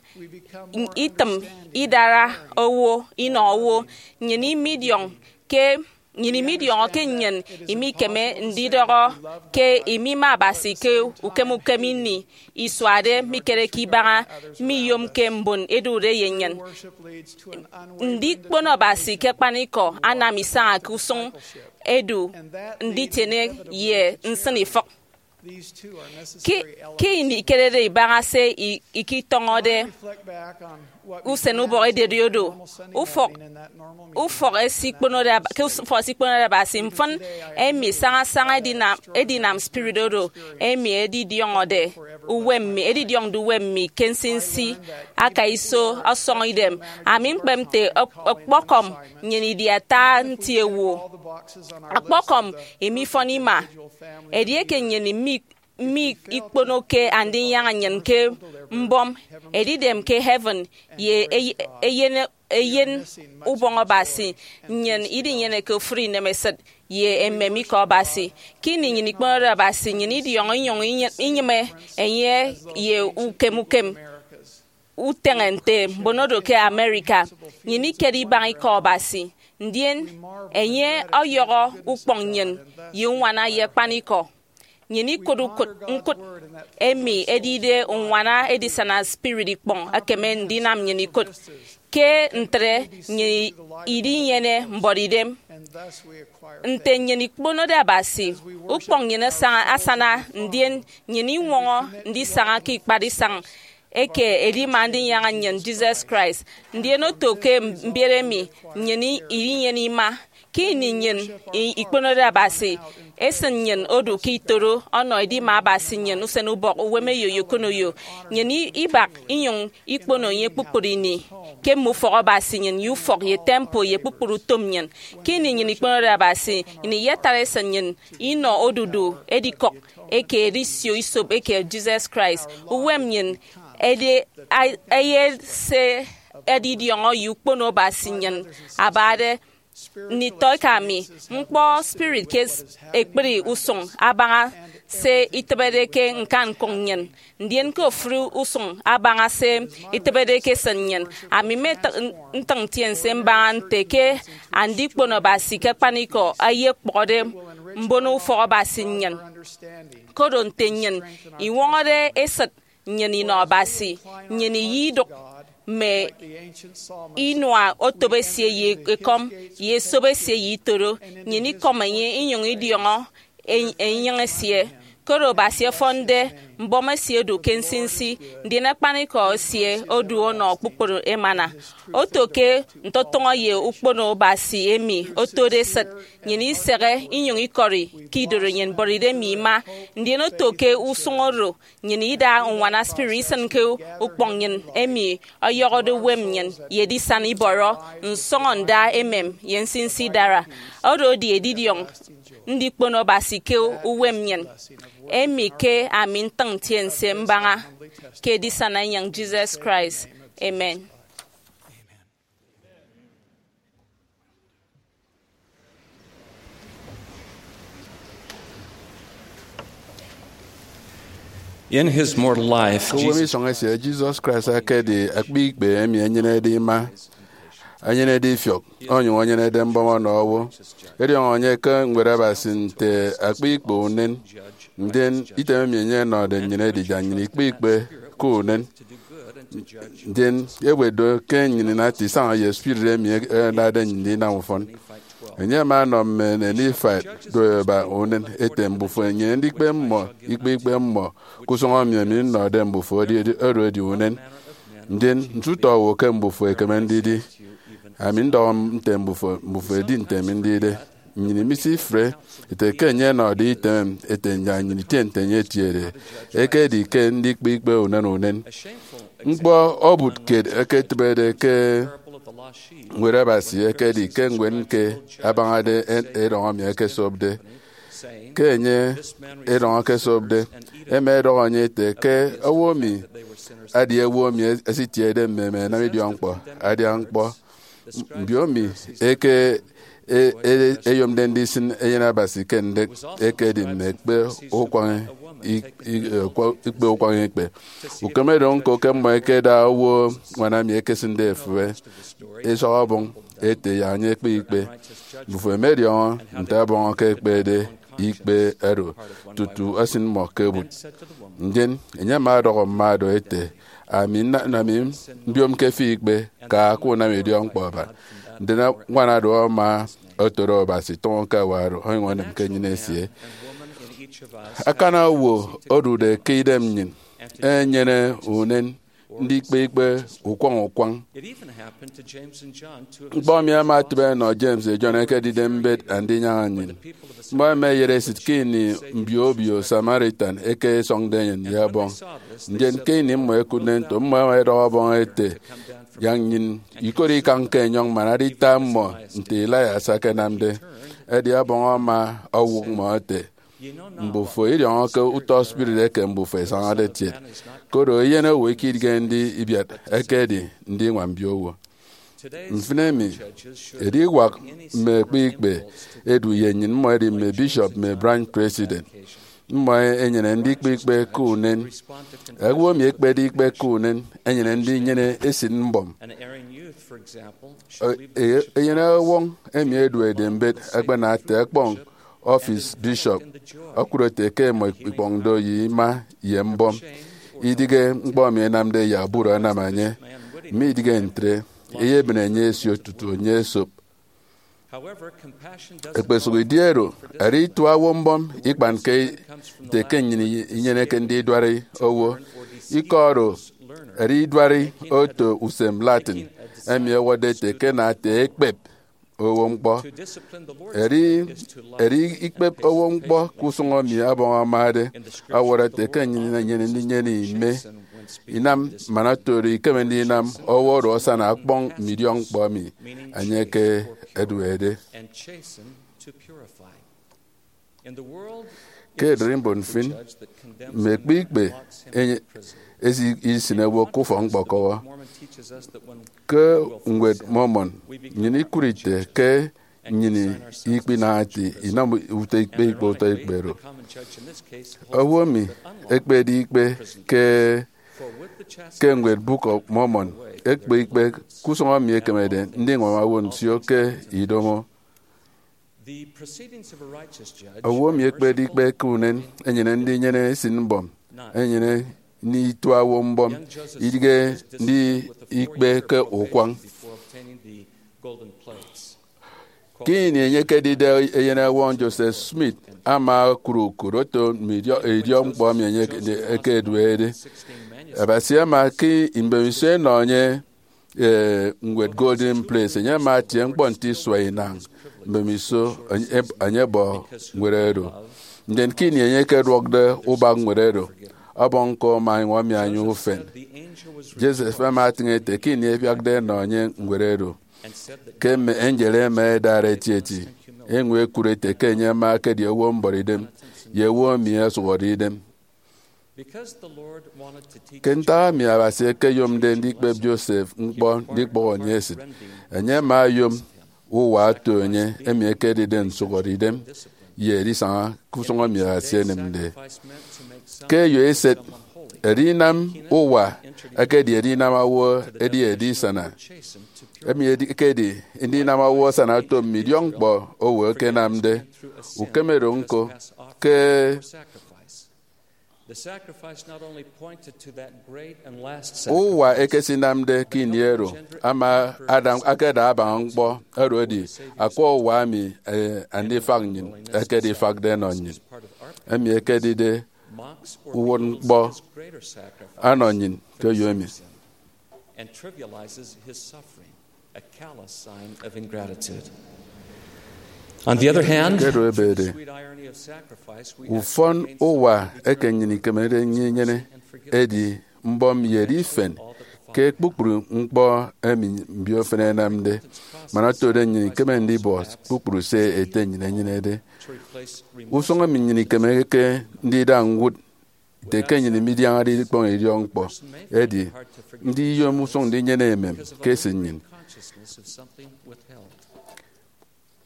itịm idara owo, inọ owo. Nnyịn imidiọñ ke nnyịn imidiọñọ ke nnyịn imikeme ndidọhọ ke imima Abasi ke ukem ukem ini isuade mikereke ibaña, miyomke mbon ẹdude ye nnyịn. Ndikpono Abasi ke akpanikọ anam isaña ke usụñ edu nditiene ye nsịn ifịk. Ke ke ini ikerede ibaña se i- ikitọñọde usen ubọk ededi odo, ufọk ufọk esikponode aba- ke ufọk esikponode Abasi mfịn, emi sañasaña edinam edinam spirit oro emi edidiọñọde uwem mi edidiọñde uwem mi ke nsinsi aka iso ọsọñ idem. Ami ñkpep nte ọk- ọkpọkọm nnyịn idi ata nti owo, ọkpọkọm imifọn ima. Edieke nnyịn mi mi ikponoke Andinyaña nnyịn ke mbọm edidem ke heaven ye ey- eyen eyen ubọñ Abasi, nnyịn idinyeneke ofụri inemesịt ye emem ikọ Abasi. Ke ini nnyịn ikponode Abasi, nnyịn idiọñọ inyụñ inye- inyịme enye ye ukem ukem uteñe nte mbon oro ke America. Nnyịn ikedi ibaña ikọ Abasi, ndien enye ọyọhọ ukpọñ nnyịn ye uñwana ye akpanikọ. Nnyịn ikụt ukụt ñkụt emi edide uñwana edisana spirit ikpọñ ekeme ndinam nnyịn ikụt. Ke ntre, nnyịn idinyene mboridem. Nte nnyịn ikponode Abasi, ukpọñ nnyịn asaña- asana, ndien nnyịn iñwọñọ ndisaña ke ikpat isañ eke edima Andinyaña nnyịn Jesus Christ. Ndien oto ke mbiet emi, nnyịn i- idinyene ima. Ke ini nnyịn i- ikponode Abasi, esịn nnyịn odu ke itoro ọnọ edima Abasi nnyịn usen ubọk uwem eyo ye okonoyo. Nnyịn i- ibak inyụñ ikpono enye kpukpru ini ke mme ufọk Abasi nnyịn ye ufọk ye temple ye kpukpru utom nnyịn. Ke ini nnyịn ikponode Abasi, nnyịn iyatara esịn nnyịn inọ odudu edikọk eke edisio isop eke Jesus Christ. Uwem nnyịn edi a- eyet se edidiọñọ ye ukpono Abasi nnyịn abade. Nditọeka mi, ñkpọ spirit ke s- ekpri usụñ abaña se itịbede ke ñkan ñkụñ nnyịn, ndien ke ofụri usụñ abaña se itịbede ke esịn nnyịn. Ami mme ntịñ ntiense mbaña nte ke andikpon Abasi ke akpanikọ ẹyekpọhọde mbono ufọk Abasi nnyịn. Koro nte nnyịn iñwọñọde esịt nnyịn inọ Abasi, nnyịn iyidụk mme inua otop esie ye ekọm ye esop esie ye itoro, nnyịn ikọm enye inyụñ idiọñọ en-, enyịñ esie. Koro Abasi ọfọnde mbọm esie odu ke nsinsi, ndien akpanikọ esie odu ọnọ kpukpru emana. Oto ke ntọtọñọ ye ukpono Abasi emi otode esịt, nnyịn isehe inyụñ ikọri ke idoro nnyịn bọride mme ima, ndien oto ke usụñ oro nnyịn ida uñwana spirit isịn ke ukpọñ nnyịn emi ọyọhọde uwem nnyịn ye edisana ibọrọ, nsọñọnda emem, ye nsinsi idara. Oro edi edidiọñ ndikpono Abasi ke uwem nnyịn, emi ke ami ntịñ ntiense mbaña ke edisana enyịñ Jesus Christ. Amen. In his mortal life, ke uwem Jesus isọñ esie, Jesus Christ ekedi akpa ikpe emi enyenede ima, enyenede ifiọk, onyụñ enyenede mbọm ọnọ owo. Ediọñọ enye ke Ñwed Abasi nte akpa ikpe unen, ndien item emi enye ọnọde nnyịn edi yak nnyịn ikpe ikpe ke unen. Ndien ewet do ke nnyịn inat isaña ye spirit emi ẹnade nnyịn ndinam ufọn. Enye ama ọnọ mme Nifaite do ẹba unen ete, mbufo ẹnyene ndikpe mmọ ikpe ikpe mmọ ke usụñ emi ami nnọde mbufo, edi, edi, oro edi unen. Ndien nte utọ owo ke mbufo ẹkeme ndidi? Ami ndọhọ nte mbufo, mbufo ẹdi nte mi ndide. Nnyịn imisifre ete ke enye ọnọde item ete yak nnyịn itie nte enye etiede, ekedi ke ndikpe ikpe unen unen. Ñkpọ obụt kiet eketịbede ke Ñwed Abasi ekedi ke ñwed ñke abañade en-, erọñ emi ẹkesopde. Ke enye erọñ ẹkesopde, ẹma ẹdọhọ enye ete ke owo emi adi owo emi esitiede mmeme ẹnam idiọkñkpọ, adian ñkpọ. Mbiomi eke e-, e-, eyomde ndisịn eyen Abasi ke ndịk ekedi mme ekpe ukwañ i-, i-, ekwe-, ikpe ukwañ ikpe. Ukeme do ñko ke mmọ ẹkeda owo ñwan emi ẹkesịnde efịbe isọk ọbọñ ete yak enye ekpe ikpe. Mbufo ẹmediọñọ nte ọbọñ eke ekpede ikpe oro tutu esịn mmọ ke bụt. Ndien enye ama ọdọhọ mma do ete, ami nna-, nami mbiomke fi ikpe, ka, ka unam idiọkñkpọ aba. Ndien ñwan oro ama otoro Abasi tụñọ ke awa oro, onyụñ onemke enyịn esie. Akana owo odude ke idem nnyịn enyene unen ndikpe ikpe ukwañ ukwañ. Ñkpọ emi ama etịbe ẹnọ James ye John ẹkedide mbet Andinyaña nnyịn. Mmọ ẹma ẹyet esịt ke ini mbio obio Samaritan eke ẹsọñde enyịn ye ọbọñ. Ndien ke ini mmọ ẹkụtde nto, mmọ ẹma ẹdọhọ ọbọñ ete, yak nnyịn ikot ikañ ke enyọñ man adita mmọ nte Elias akanamde. Edi ọbọñ ama owụk mmọ ete, mbufo idiọñọke utọ spirit eke mbufo ẹsañade ẹtiet, koro eyen owo ikidige ndi ibiat, ekedi ndiñwam mbiowo. Mfịn emi, ediwak mme ekpe ikpe edu ye nnyịn, mmọ edi mme bishop, mme branch president. Mmọ ẹnyene ndikpe ikpe ke unen. Owo emi ekpede ikpe ke unen enyene ndinyene esịt mbọm. E-, e-, eyen ọwọñ emi eduede mbet akpana ata ẹkpọñ ọfis bishop, okụre ete ke ẹmọ ikpọñde ye ima ye mbọm. Idịghe ñkpọ emi ẹnamde ye aburọ ẹnam enye, midịghe ntre, eyebịne enye esio tutu enye esop. Ekpesụk idi oro, edi itua owo mbọm ikpanke ete ke nnyịn inyeneke ndiduari owo. Ikọ oro edi iduari oto usem Latin emi ẹwọtde ete ke nate ekpep owo ñkpọ. Edi, edi ikpep owo ñkpọ ke usụñ emi ọbọñ amade ọwọrọ ete ke nnyịn inyene ndinyene ime inam man oto oro ikeme ndinam owo oro asana ọkpọñ mme idiọkñkpọ emi enye ke eduede. Ke ererimbot mfịn, mme ekpe ikpe enye-, esi isịn owo ke ufọk-ñkpọkọwọ. Ke Ñwed Mormon, nnyịn ikụt ite ke nnyịn ikpinaha ete inam utọ ikpe ikpe utọ ikpe oro. Owo emi ekpede ikpe ke, ke ñwed Book of Mormon ekpe ikpe ke usụñ emi ekemede ndiñwam owo nsio ke idomo. Owo emi ekpede ikpe ke unen enyene ndinyene esịt mbọm, enyene ini itua owo mbọm, idighe ndi ikpe ke ukwañ. Ke ini enye ekedide eyenewọñ, Joseph Smith ama okụre ukot oto mme idiọ- idiọkñkpọ emi enye ekeduede. Abasi ama ke mbemiso enọ enye, eh, ñwed Golden Plates, enye ama atie ñkpọ nte isua inañ mbemiso enye, enye bọ ñwed oro. Ndien ke ini enye ekeduọkde ubak ñwed oro, ọbọñ ñko ama eñwọmi anya ufen. Joseph ama atịñ ete ke ini ebiakde enọ enye ñwed oro, ke mme angel ẹma ẹdara etieti, enyụñ ẹkụt ete ke enye ama ekedi owo mbọrọidem ye owo emi ọsụhọde idem. Ke ntak emi Abasi ekeyomde ndikpep Joseph ñkpọ ndikpọhọ enye esịt, enye ama oyom uwa oto enye emi ekedide nsụhọde idem ye edisaña ke usụñ emi Abasi enịmde. Ke eyo eset, edinam uwa ekedi edinam owo edi edisana, emi edi- ekedi ndinam owo asana oto mme idiọkñkpọ owo ẹkenamde. Ukeme do ñko ke The sacrifice not only pointed to that great and last sacrifice, uwa ekesinamde ke ini ero ama ada akada abaña ñkpọ oro edi akwa uwa emi, eh, andifak nnyịn ẹkede ifakde ẹnọ nnyịn, emi ekedide uwụtñkpọ anọ nnyịn ke eyo emi. And trivializes his suffering, a callous sign of ingratitude. On the other hand, ke edo ebede, sweet irony of sacrifice, we ufọn uwa eke nnyịn ikemede ndinyene edi mbọm ye edifen ke kpukpru ñkpọ emi mbiofen ẹnamde. Man otode nnyịn ikeme ndibọ kpukpru se Ete nnyịn enyenede. Usụñ emi nnyịn ikemeke ndida ñwụt nte ke nnyịn midiañade ikpọñ idiọkñkpọ edi ndiyom usụñ ndinyene emem ke esịt nnyịn.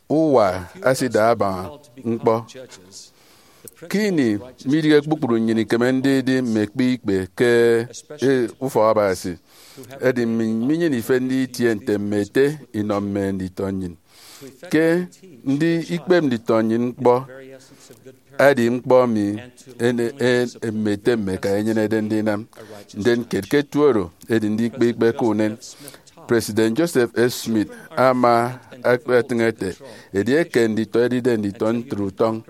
Uwa asida abaña ñkpọ. Ke ini midịghe kpukpru nnyịn ikeme ndidi mme ekpe ikpe ke, eh, ufọk Abasi, edi nnyịn minyene ifen nditie nte mme ete inọ mme nditọ nnyịn. Ke ndi ikpep nditọ nnyịn ñkpọ edi ñkpọ emi ene- e- mme ete mme eka enyenede ndinam. Ndien kiet ke eto oro edi ndikpe ikpe ke unen. President Joseph F. Smith ama akpetịñ ete, edieke nditọ ẹdide nditọ ntre utọñ,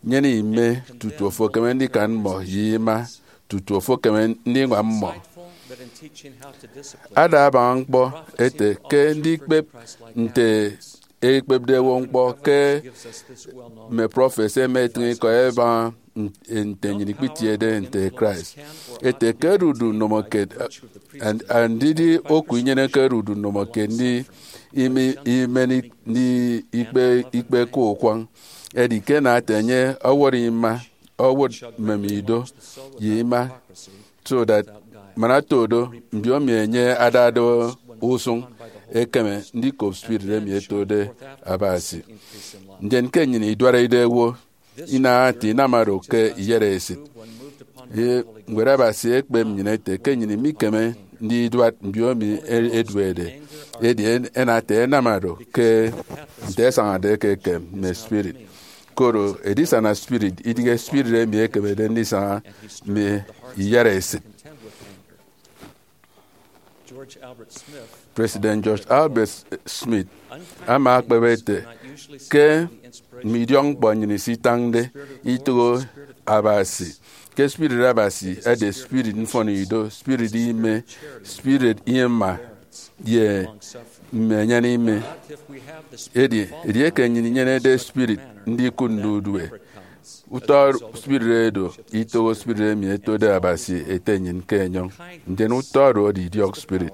nyene ime tutu ofo ekeme ndikan mmọ ye ima tutu ofo ekeme ndiñwam mmọ. Ada abaña ñkpọ ete ke ndikpep nte ekpepde owo ñkpọ ke mme prọfet ẹma ẹtịñ ikọ ẹbaña nte nnyịn ikpitiede nte Christ. Ete ke odudu ndomokiet, and, and ndidi oku inyeneke odudu ndomokiet ndi ime, imen ik- ndi ikpe ikpe ke ukwañ. Edi ke nate enye ọwọrọ ima, ọwọt mmem ido ye ima, so that man oto do mbiomi enye adade usụñ ekeme ndikop spirit emi etode Abasi. Ndien ke nnyịn iduarede owo, inaha ete inam oro ke iyara esịt. Ye Ñwed Abasi ekpep nnyịn ete ke nnyịn mikeme ndiduat mbiomi e- eduede, edi en- enate enam oro ke nte ẹsañade ke ekem mme spirit. Koro edisana spirit idighe spirit emi ekemede ndisaña mme iyara esịt. President George Albert Smith ama akpep ete ke mme idiọkñkpọ nnyịn isitañde itoho Abasi, ke spirit Abasi edi spirit mfọnido, spirit ime, spirit ima, ye mme enyan ime. Edi edieke nnyịn inyenede spirit ndikụt ndudue, utọ spirit edo itoho spirit emi etode Abasi Ete nnyịn ke enyọñ, ndien utọ oro edi idiọk spirit.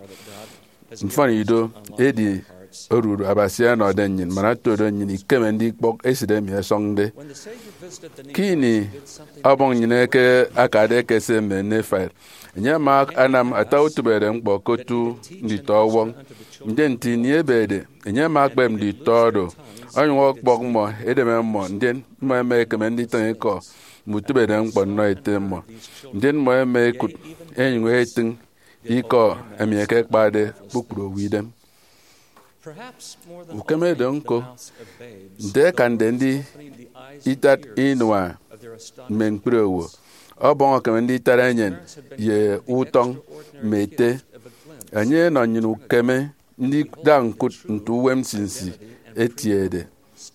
Mfọnido edi odudu Abasi ọnọde nnyịn man oto do nnyịn ikeme ndikpọk esịt emi ẹsọñde. Ke ini ọbọñ nnyịn eke akade ekese mme Nephi, enye ama anam ata utịbede ñkpọ ke otu nditọ ọwọñ. Ndien nte ini ebede, enye ama akpep nditọ oro, onyụñ ọkpọk mmọ edeme mmọ, ndien mmọ ẹma ẹkeme nditịñ ikọ mme utịbede ñkpọ nnọ ete mmọ. Ndien mmọ ẹma ẹkụt ẹnyụñ ẹtịñ ikọ emi ẹkekpade kpukpru owo idem. Ukeme do ñko, nte ẹkande ndi itat inua mme ñkpri owo, ọbọñ ekeme nditara enyịn ye utọñ mme ete. Enye enọ nnyịn ukeme ndida ñkụt nte uwem nsinsi etiede,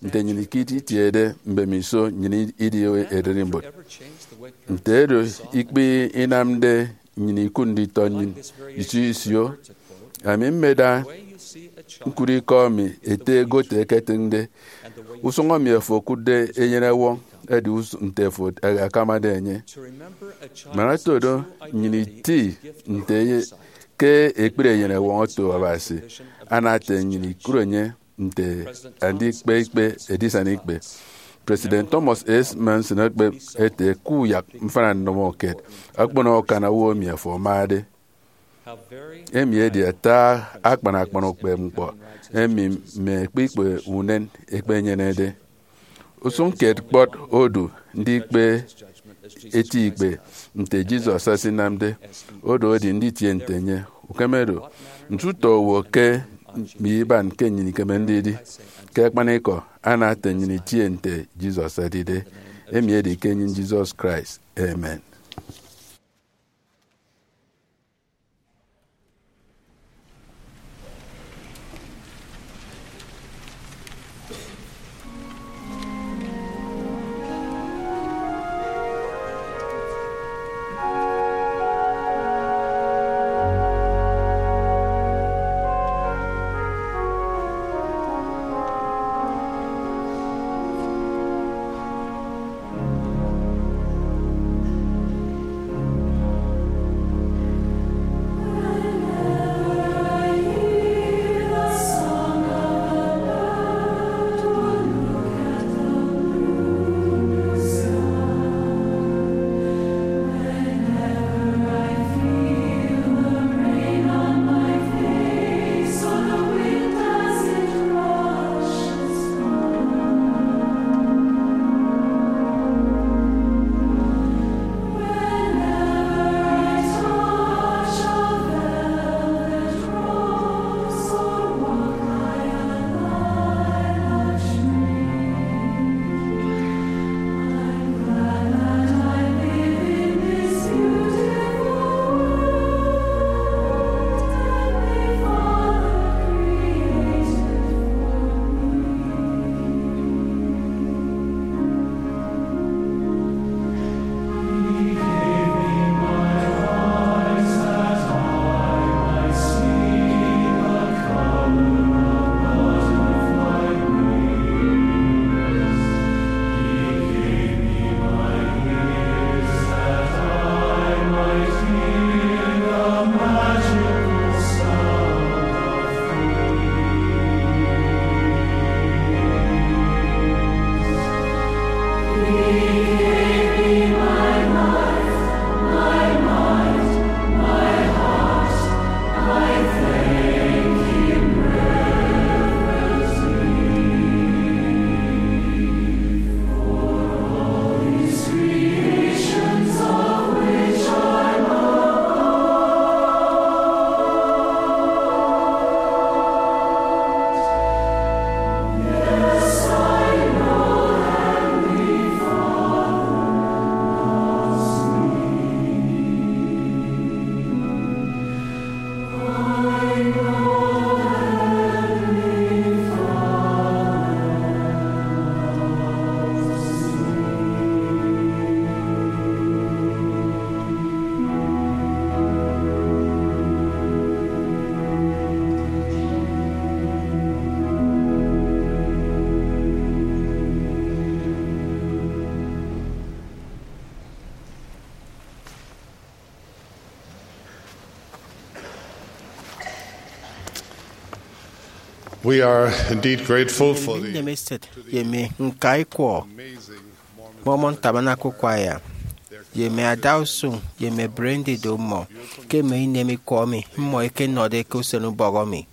nte nnyịn ikit itiede mbemiso nnyịn idi ererimbot. Nte edu ikpe inamde nnyịn ikụt nditọ nnyịn isio isio, ami mmeda ñkụt ikọ emi ete egot eketịñde. Usụñ emi afo okụtde eyenewọñ edi us- nte afo akamade enye. Man otodo nnyịn iti nte ye- ke ekpri eyenewọñ oto Abasi, ana ete nnyịn ikụt enye nte andikpe ikpe edisana ikpe. President Thomas S. Monson ekpep ete, ke uyak mfana nnọmọ kiet, ọkpọnọ akan owo emi afo amade. Emi edi ata akpan akpan ukpepñkpọ emi mme ekpikpe unen ẹkpenyenede. Usụñ kiet kpọt odu ndikpe eti ikpe nte Jesus esinamde, odu edi nditie nte enye. Ukeme do, nte utọ owo ke mme iban ke nnyịn ikeme ndidi. Ke akpanikọ, ana ete nnyịn itie nte Jesus edide. Emi edi ke enyịn Jesus Christ. Amen. We are indeed grateful for the Nnemeset ye mme ñka ikwọ amazing Mormon Tabernacle Choir ye mme adausụñ ye mme brandy do mmọ ke mme inem ikwọ emi mmọ ẹkenọde ke usen ubọk emi.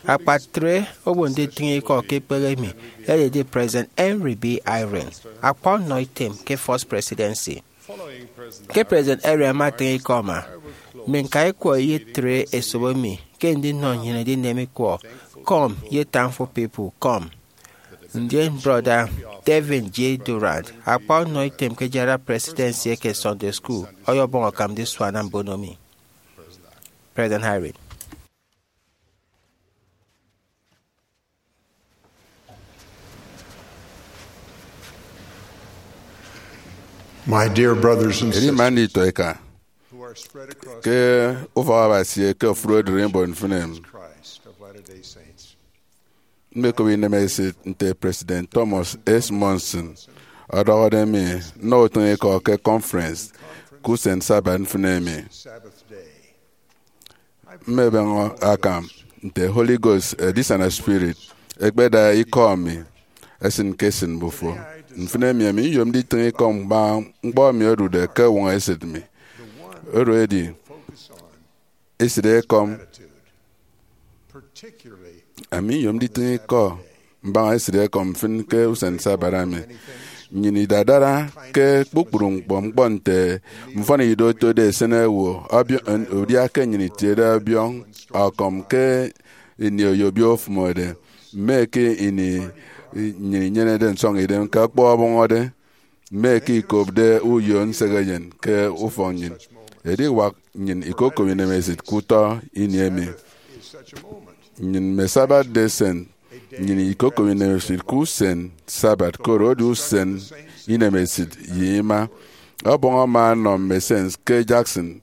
Akpatre owo nditịñ ikọ ke ikpehe emi ededi President Henry B. Eyring, akwa ọnọ item ke First Presidency. Ke President Eyring amatịñ ikọ ama, mme ñka ikwọ iyetre esop emi ke ndinọ nnyịn edinem ikwọ, Come, ye Thankful People, come. Ndien Brọda Devin G. Durrant, akpa ọnọ item ke General Presidency eke Sunday School, ọyọbọñ akam ndisuana mbono mi. President Hyrum. My dear brothers and Eri sisters, man ito eka who are spread across ke ufọk Abasi eke ofụri odụri mbon mfịn emi. Christ of Latter-day Saints. Mmekop inemesịt nte President Thomas S. Monson ọdọhọde mi nnọ utịñikọ ke conference ke usen Sabbath mfịn emi. Sabbath day. Mmebeñe akam nte Holy Ghost, Edisana Spirit, ekpeda ikọ mi esịn ke esịn mbufo. Mfịn emi, ami nyomde itịñ ikọ mbaña ñkpọ emi odude ke uñwam esịt mi. Oro edi, esịt ekọm. Ami nyomde itịñ ikọ mbaña esịt ekọm mfịn ke usen Sabbath emi. Nnyịn idadara ke kpukpru ñkpọ ñkpọ nte mfọnido otode esen owo, ọbiọ-, udia ke nnyịn itiede ọbiọñ ọkọm ke ini oyobio ofụmode, mme ke ini nnyịn inyenede nsọñidem ke ọkpọ ọbọñọde, mme ke ikopde uyo nsehe eyen ke ufọk nnyịn. Ediwak nnyịn ikokop inemesịt ke utọ ini emi. Nnyịn mme Sabbath Day Saint, nnyịn ikokop inemesịt ke usen Sabbath, koro edi usen inemesịt ye ima. Ọbọñ ama anọ mme Saints ke Jackson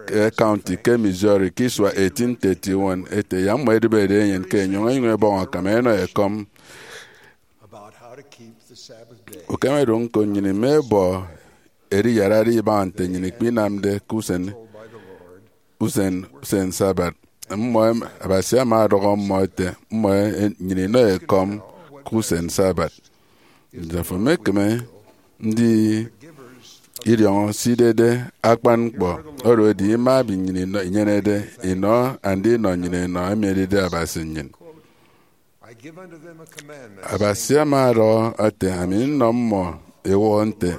ke County ke Missouri ke isua eighteen thirty-one, ete yak mmọ ẹdịbede enyịn ke enyọñ ẹnyụñ ẹbọñ akam ẹnọ ekọm. Ukeme do ñko, nnyịn imebọ eriyarade ibaña nte nnyịn ikpinamde ke usen, usen, usen Sabbath. Mmọ em-, Abasi ama ọdọhọ mmọ ete mmọ e-, nnyịn inọ ekọm ke usen Sabbath. Nte afo emekeme ndidiọñọ se idide akpan ñkpọ, oro edi ima emi nnyịn inọ, inyenede inọ andinọ nnyịn enọ emi edide Abasi nnyịn. Abasi ama ọdọhọ ete, ami nnọ mmọ ewọhọ nte,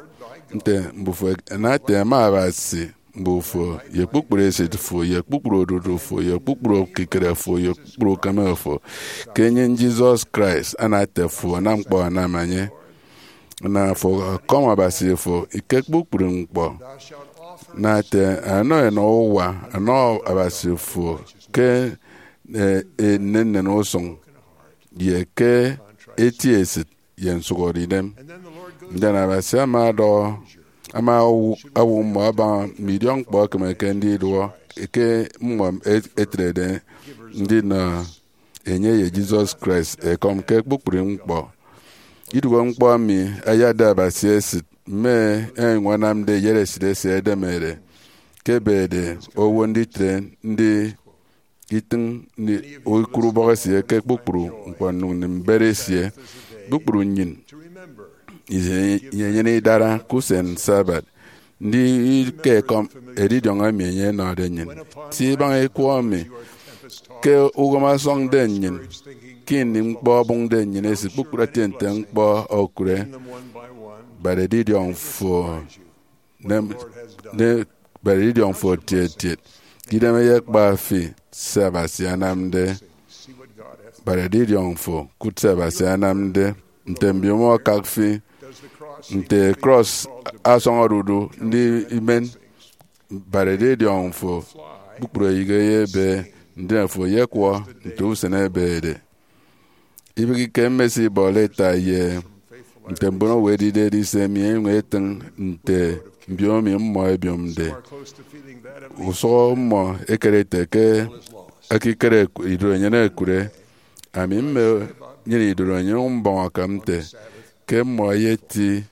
nte mbufo ana ete ẹma Abasi mbufo, ye kpukpru esịt fo, ye kpukpru odudu fo, ye kpukpru ekikere fo, ye kpukpru ukeme fo, ke enyịñ Jesus Christ ana ete fo anam ñkpọ anam enye. Na fo ọkọm Abasi fo ke kpukpru ñkpọ. Na ete ẹnọ ẹnọ uwa, ẹnọ Abasi fo ke, eh, nnennen usụñ, ye ke eti esịt ye nsụhọde idem. Ndien Abasi ama ọdọhọ, ama owu-, owu mmọ abaña mme idiọkñkpọ ẹkemeke ndiduọ, ke mmọ et-, etrede ndinọ enye ye Jesus Christ ekọm ke kpukpru ñkpọ. Iduọk ñkpọ emi ayatde Abasi esịt, mme ẹnyụñ ẹnamde iyatesịt esie ẹdemede ke ebede owo nditre ndi itịñ ni-, ikụt ubọk esie ke kpukpru ñkpọ nnyụñ nnịm mbet esie. Kpukpru nnyịn iyenyene idara ke usen Sabbath, ndi ke ekọm edidiọñ emi enye enọde nnyịn. Ti ibaña ikwọ emi ke uwem ọsọñde nnyịn, ke ini ñkpọ ọbụñde nnyịn esịt kpukpru eti nte ñkpọ okụre, bad edidiọñ fo nem-, ne-, bad edidiọñ fo tiet tiet. Idem eyekpa fi se Abasi anamde, bad edidiọñ fo kụt se Abasi anamde. Nte mbiomo akak fi, nte krọs asọñọde udu ndi imen, bad edidiọñ fo kpukpru eyịghe ye ebe, ndien fo eyekwọ nte usen ebede. Ibịghike mmesibọ leta ye nte mbon owo ẹdide ẹdise mi ẹnyụñ ẹtịñ nte mbiomi mmọ ẹbiomde. Usụhọ mmọ ẹkere ẹte ke ekikere idorenyin ẹkụre. Ami mme nyịn idorenyin mbọñ akam nte ke mmọ ẹyeti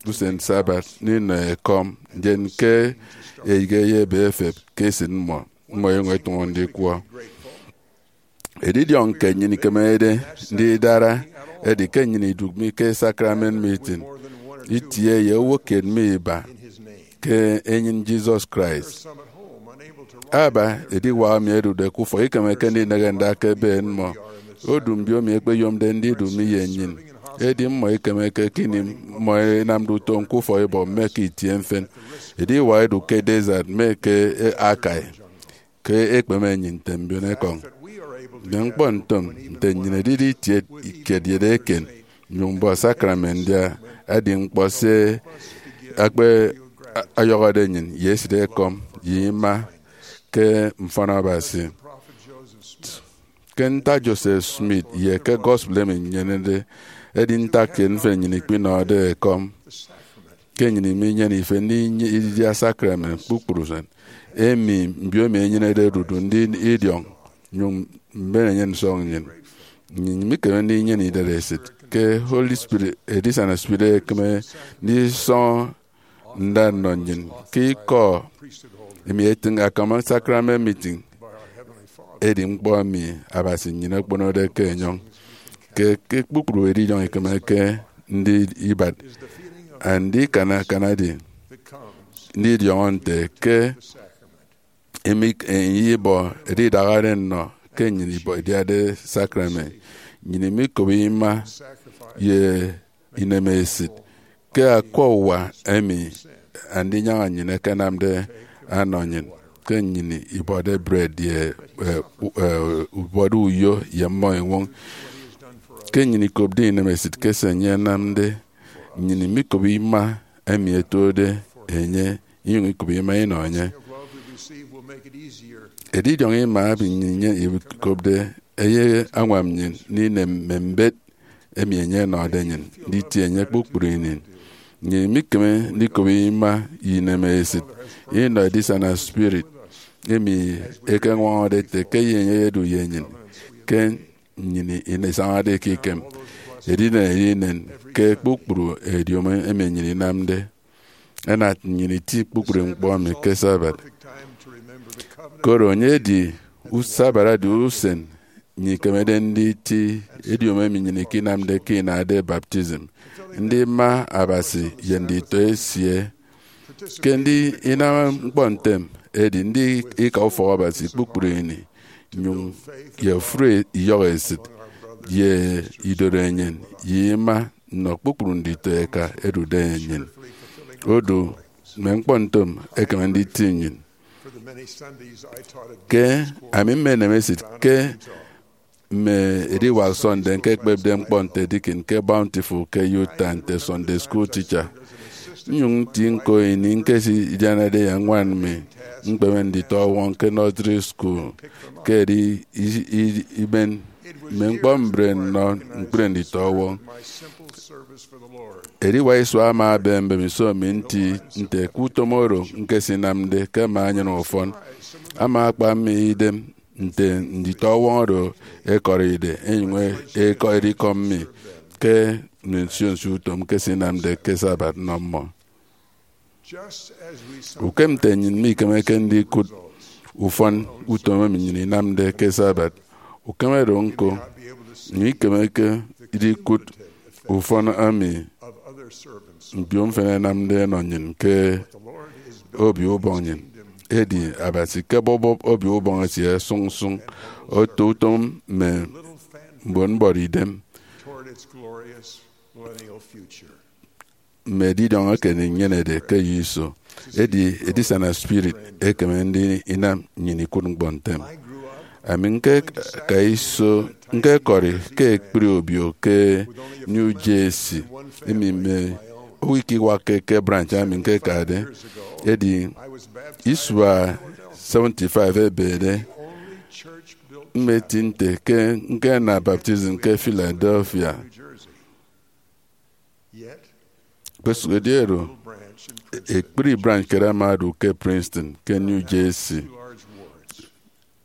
usen Sabbath ndinọ ekọm, ndien ke eyịghe ye ebe efep ke esịt mmọ, mmọ ẹnyụñ ẹtụñọ ndikwọ. Edidiọñ ke nnyịn ikemede ndidara edi ke nnyịn idụk mi ke sacrament meeting itie ye owo kiet mi iba ke enyịn Jesus Christ. Aba ediwak emi ẹdude ke ufọk ikemeke ndineghe nda ke ebe mmọ. Odu mbiomi ekpeyomde ndidu mi ye nnyịn, edi mmọ ikemeke ke ini mmọ ẹnamde utom ke ufọkibọk mme ke itie mfịn. Ediwak ẹdu ke desert mme ke akai ke ekpeme nnyịn nte mbiomo ekọñ. Mme ñkpọ ntom nte nnyịn edide itie kiet ye eken, nyuñ mbọ sakramen ndia edi ñkpọ se akpe ọyọhọde nnyịn ye esit ekọm ye ima ke mfọn Abasi. Ke ntak Joseph Smith ye ke gospel emi nyenede, edi ntak kiet mfịn nnyịn ikpinọde ekọm ke nnyịn iminyene ife ndidia sakramen kpukpru usen. Emi mbiomi enyenede odudu ndidiọñ, nyuñ mben enye nsọk nnyịn. Nnyịn mikeme ndinyene idaresit ke Holy Spirit, Edisana Spirit ekeme ndisọñọ nda nnọ nnyịn ke ikọ emi etịñ akama sakramen meeting. Edi ñkpọ emi Abasi nnyịn okponode ke enyọñ ke, ke kpukpru edidiọñ ikemeke ndibat, andikana akanade ndidiọñọ nte ke emi enye ibọ edidahade nnọ ke nnyịn ibọ idiade sakramen. Nnyịn imikop ima ye inemesit ke akwa uwa emi Andinyaña nnyịn ẹkenamde anọ nnyịn ke nnyịn ibọde bred ye, eh, u-, eh, ubọde uyo ye mmọ eñwọñ. Ke nnyịn ikopde inemesit ke se enye anamde, nnyịn imikop ima emi ẹtuọkde enye, inyụñ ikop ima inọ enye. Edidiọñ ima emi nnyịn ikopde eyeñwam nnyịn ndinem mme mbet emi enye ọnọde nnyịn nditie enye kpukpru ini. Nnyịn mikeme ndikop ima ye inemesit inọ Edisana Spirit emi ekeñwọñọde ete ke enye eyedu ye nnyịn ke nnyịn isañade ke ikem, edinen edinen ke kpukpru ediomi emi nnyịn inamde. Ẹnat nnyịn iti kpukpru ñkpọ emi ke Sabbath. Koro enye edi u-, Sabbath edi usen nnyịn ikemede nditi ediomi emi nnyịn ikinamde ke inade baptism, ndima Abasi ye nditọ esie. Ke ndi inam ñkpọ ntem edi ndi ika ufọk Abasi kpukpru ini, nyuñ ye ofụri iyọhọ esịt ye idorenyin ye ima nnọ kpukpru nditọ eka ẹdude nnyịn. Odu mme ñkpọ ntom ekeme nditi nnyịn. Ke ami mmenem esịt ke mme ediwak Sunday ñkekpepde ñkpọ nte deacon ke Bountiful ke Utah nte Sunday school teacher. Nnyụñ nti ñko ini ñkesidianade ye ñwan mi ñkpeme nditọwọñ ke nursery school ke edi i-, i-, iben mme ñkpọ mbre nnọ ñkpri nditọwọñ. Ediwak isua ama ebe mbemiso mi nti nte ke utom oro ñkesinamde ke mme anyan ufọn ama akpa mi idem nte nditọwọñ oro ẹkọride ẹnyụñ ẹkọri ikọ mi ke mme nsio nsio utom ñkesinamde ke Sabbath nnọ mmọ. Ukem nte nnyịn mikemeke ndikụt ufọn utom emi nnyịn inamde ke Sabbath, ukeme do ñko, nnyịn ikemeke ndikụt ufọn emi mbio mfịn ẹnamde ẹnọ nnyịn ke Obio Ubọñ nnyịn. Edi Abasi ke bọbọp Obio Ubọñ esie sụñ sụñ oto utom mme mbon mbọrọ idem mme edidiọñ eken inyenede ke eyo iso. Edi Edisana Spirit ekeme ndinam nnyịn ikụt ñkpọ ntem. Ami ñkeka iso ñkekọri ke ekpri obio ke New Jersey, emi mme owo ikiwakke ke branch ami ñkekade. Edi isua seventy-five ebede, mmeti nte ke ñkena baptism ke Philadelphia. Kpesụk edi oro, ekpri branch kiet ama odu ke Princeton, ke New Jersey.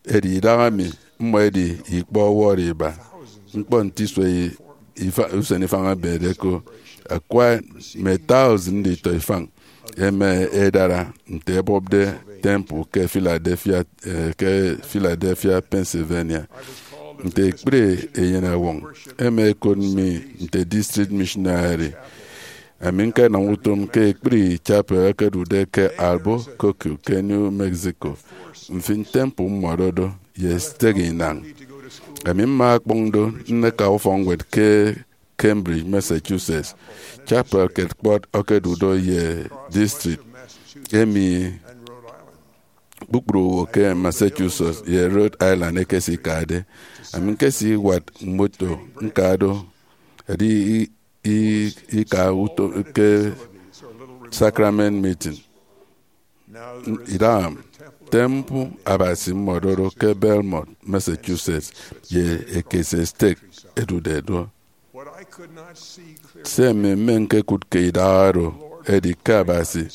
Edi idahaemi mmọ edi ikpọ ọwọrọ iba. Ñkpọ nte isua i-, ifa-, usen ifañ ebede ko. Akwa mme thousand nditọ ifañ ẹma ẹdara nte ẹbọpde temple ke Philadelphia, eh, ke Philadelphia, Pennsylvania. Nte ekpri eyenọwọñ, ẹma ẹkot mi nte district missionary. Ami ñkenam utom ke ekpri chapel ẹkedude ke Albuquerque, ke New Mexico. Mfịn, temple mmọ ọdọdọ ye stek inañ. Ami mma akpọñ do nneka ufọkñwed ke Cambridge, Massachusetts. Chapel kiet kpọt okodu do ye district emi kpukpru owo ke Massachusetts ye Rhode Island ẹkesikade. Ami ñkesiwat moto ñka do Edi i- i- ika uto ke sacrament meeting. Idaha temple Abasi mmọdodo ke Belmont, Massachusetts, ye ekese stake edude do. Se emi mmeñkekụt ke idaha oro edi ke Abasi,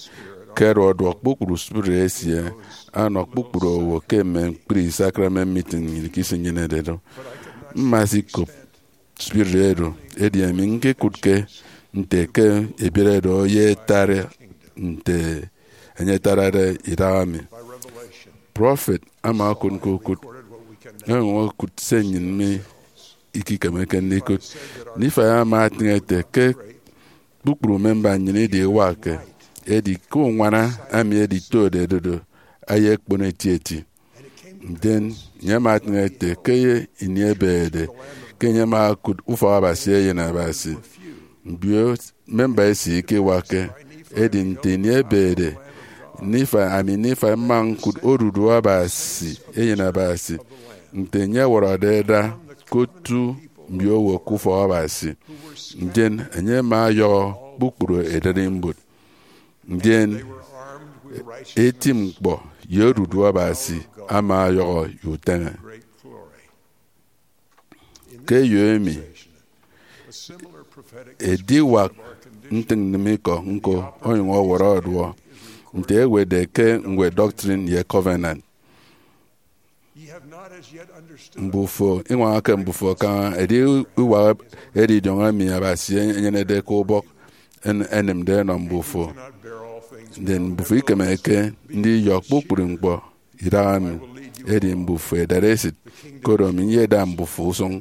ke oro ọduọk kpukpru spirit esie, anọ kpukpru owo ke mme ñkpri sacrament meeting nnyịn ke isinyenede do. Mma sikop spirit oro, edi ami ñkekụtke nte ke ebiere do ye etara nte enye etarade idaha mi. Prọfet ama okụt ñko ukụt, onyụñ okụt se nnyịn mi ikikemeke ndikụt. Nifai ama atịñ ete ke kpukpru memba nnyịn idiwakke, edi ke uñwana ami editode dodo ayekpon etieti. Ndien enye ama atịñ ete ke ye ini ebeñede ke enye ama okụt ufọk Abasi Eyen Abasi, mbio memba esie ikiwakke. Edi nte ini ebeñede, Nifai, ami Nifai mma ñkụt odudu Abasi Eyen Abasi, nte enye ọwọrọde ẹda ke otu mbio owo ke ufọk Abasi. Ndien enye ama ọyọhọ kpukpru ererimbot. Ndien eti ñkpọ ye odudu Abasi ama ọyọhọ ye uteñe. Ke eyo emi, ediwak ntịñnnịm ikọ ñko onyụñ ọwọrọ ọduọ, nte ewetde ke ñwed Doctrine ye Covenant. Mbufo iñwañake mbufo kaña ediwak edidiọñ emi Abasi enyenede ke ubọk en- enịmde enọ mbufo. Ndien mbufo ikemeke ndiyọ kpukpru ñkpọ idaha mi, edi mbufo edara esịt, koro ami nyeda mbufo usụñ.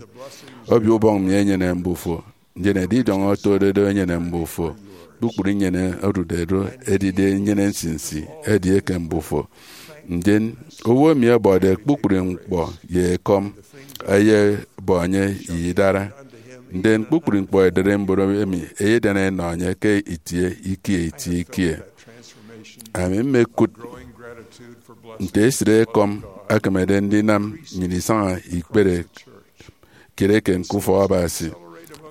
Obio Ubọñ mi enyene mbufo, ndien edidiọñ otode do enyene mbufo. Kpukpru inyene odude do edide inyene nsinsi edieke mbufo. Ndien owo emi ọbọde kpukpru ñkpọ ye ekọm, eyebọ enye ye idara. Ndien kpukpru ñkpọ ererimbot emi eyedian enọ enye ke itie ikie itie ikie. Ami mmekụt nte esịt ekọm ekemede ndinam nnyịn isaña ikpere kiet eken ke ufọk Abasi.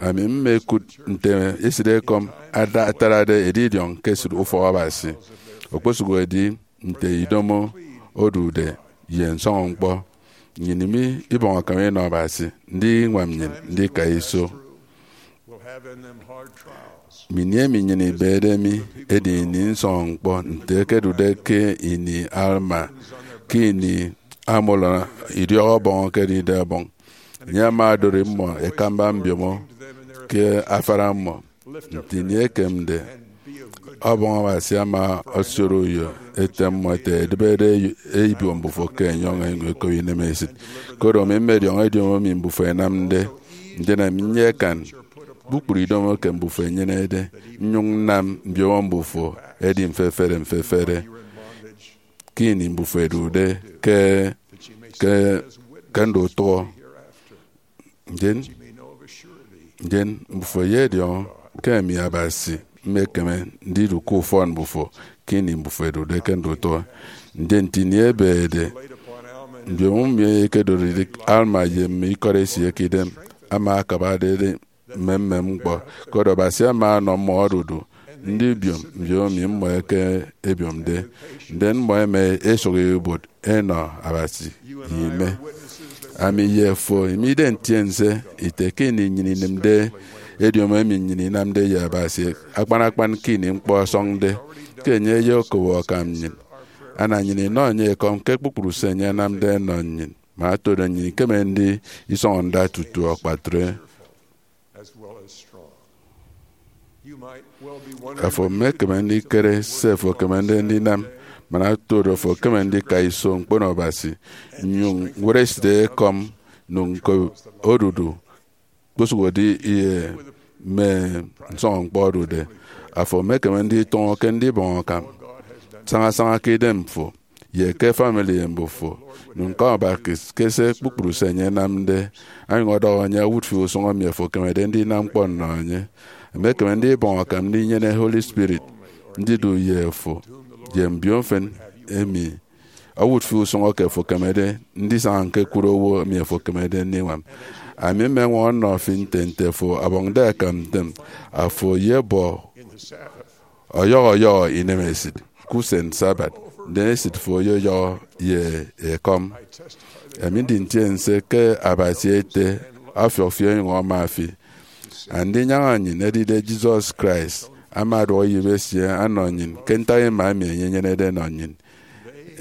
Ami mmekụt nte esịt ekọm ada- atarade edidiọñ ke esịt ufọk Abasi, okposụkedi nte idomo odude ye nsọñọ ñkpọ. Nnyịn mi ibọñ akam inọ Abasi ndiñwam nnyịn ndika iso. Ini emi nnyịn ibede mi edi ini nsọñọ ñkpọ nte ekedude ke ini Alma, ke ini Amulon idiọk ọbọñ ekedide ọbọñ. Enye ama odori mmọ ekamba mbiomo ke afara mmọ. Nte ini ekemde, ọbọñ Abasi ama osioro uyo ete mmọ ete, edịbede eyo- ebiom mbufo ke enyọñ enyụñ ekop inemesịt. Koro ami mmediọñọ ediomi mbufo ẹnamde, ndien ami nyekan kpukpru idomo ke mbufo ẹnyenede, nnyụñ nnam mbiomo mbufo ẹdi mfefere mfefere ke ini mbufo ẹdude ke ke ke ndutụhọ. Ndien ndien mbufo ẹyediọñọ ke ami Abasi mmekeme ndidu ke ufọn mbufo ke ini mbufo ẹdude ke ndutụhọ. Ndien nte ini ebeñede, mbiomo mi ekedoride Alma ye mme ikọt esie ke idem ama akabade mme mmem ñkpọ, koro Abasi ama ọnọ mmọ odudu ndibiom mbiomo mi mmọ eke ebiomde. Ndien mmọ ẹma ẹsụk ibuot ẹnọ Abasi ye ime. Ami ye fo imide ntiense ite ke ini nnyịn inịmde ediomi emi nnyịn inamde ye Abasi akpan akpan ke ini ñkpọ ọsọñde, ke enye eyekobo akam nnyịn. Ana nnyịn inọ enye ekọm ke kpukpru se enye anamde enọ nnyịn, man otodo nnyịn ikeme ndisọñọ nda tutu akpatre. Afo emekeme ndikere se afo ekemede ndinam man otodo afo ekeme ndika iso ñkpono Abasi, nnyụñ ñwụt esịt ekọm, nụñ ñkop odudu, kposụkedi ye mme nsọñọ ñkpọ odude. Afo emekeme nditụñọ ke ndibọñ akam sañasaña ke idemfo ye ke famili mbufo, nụñ ñkọm Abasi ke se kpukpru se enye anamde, onyụñ ọdọhọ enye owụt fi usụñ emi afo ekemede ndinam ñkpọ nnọ enye. Emekeme ndibọñ akam ndinyene Holy Spirit ndidu ye afo ye mbio mfịn emi owụt fi usụñ eke afo ekemede ndisaña ñkekụt owo emi afo ekemede ndiñwam. Ami mmeñwọñọ nnọ fi nte nte fo ọbọñde akam ntem, afo eyebọ ọyọhọ ọyọhọ inemesit ke usen Sabbath, ndien esit fo oyọyọhọ ye ekọm. Ami ndi ntiense ke Abasi Ete ọfiọk fi onyụñ ama fi. Andinyaña nnyịn edide Jesus Christ ama aduọk iyịp esie ọnọ nnyịn ke ntak ima emi enye enyenede enọ nnyịn.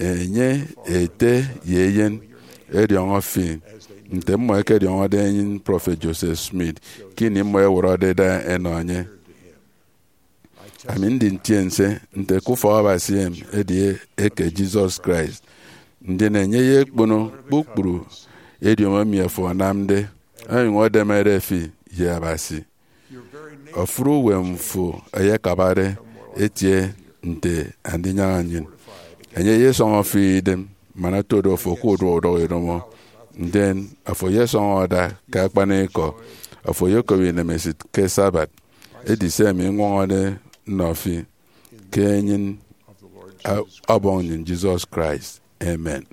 Enye, Ete ye Eyen, ẹdiọñọ fi, nte mmọ ẹkediọñọde enyịñ Prọfet Joseph Smith ke ini mmọ ẹwọrọde ẹda ẹnọ enye. Ami ndi ntiense nte ke ufọk Abasi emi edi eke Jesus Christ, ndien enye eyekpono kpukpru ediomi emi afo anamde, onyụñ edemede fi ye Abasi. Ofụri uwem fo eyekabade etie nte Andinyaña nnyịn. Enye eyesọñọ fi idem man otodo fo ke uduọk udọk idomo, ndien afo eyesọñọ ada ke akpanikọ. Afo eyekop inemesit ke Sabbath. Edi se emi ññwọñọde nnọ fi ke enyịñ a- Ọbọñ nnyịn Jesus Christ. Amen.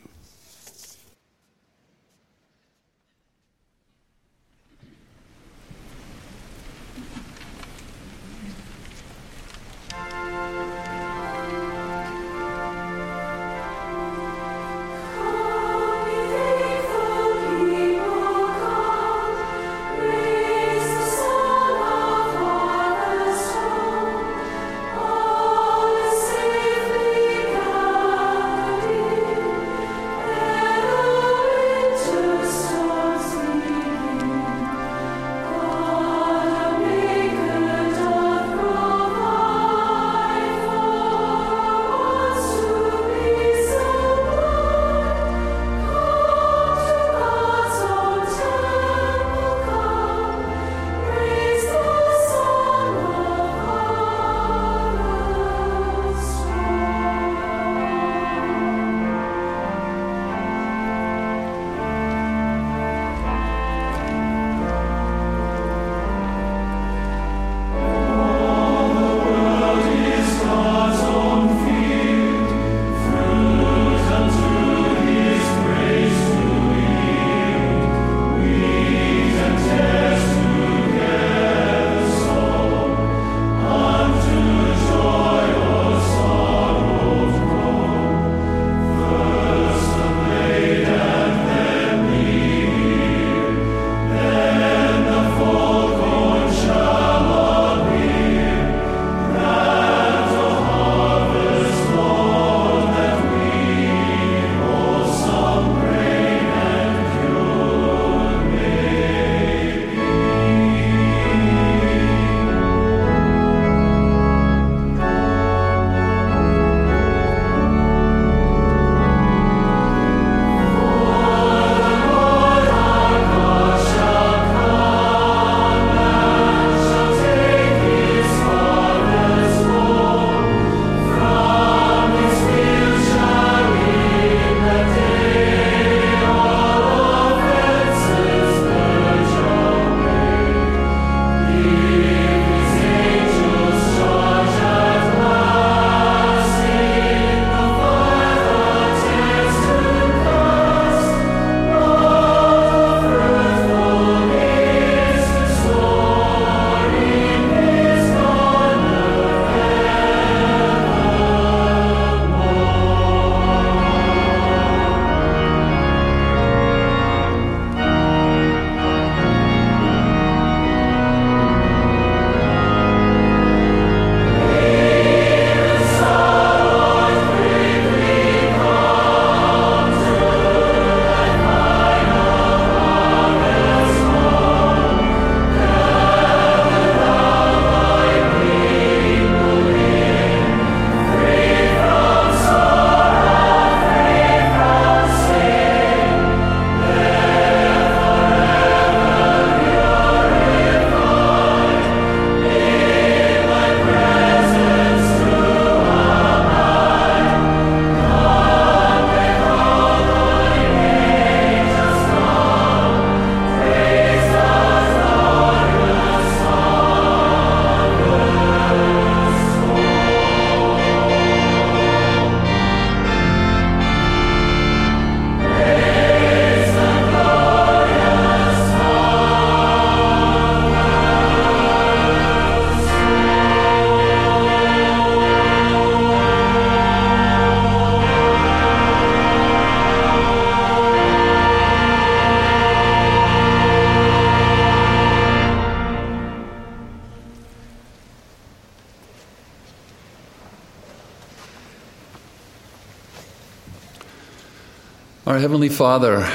Our Heavenly Father,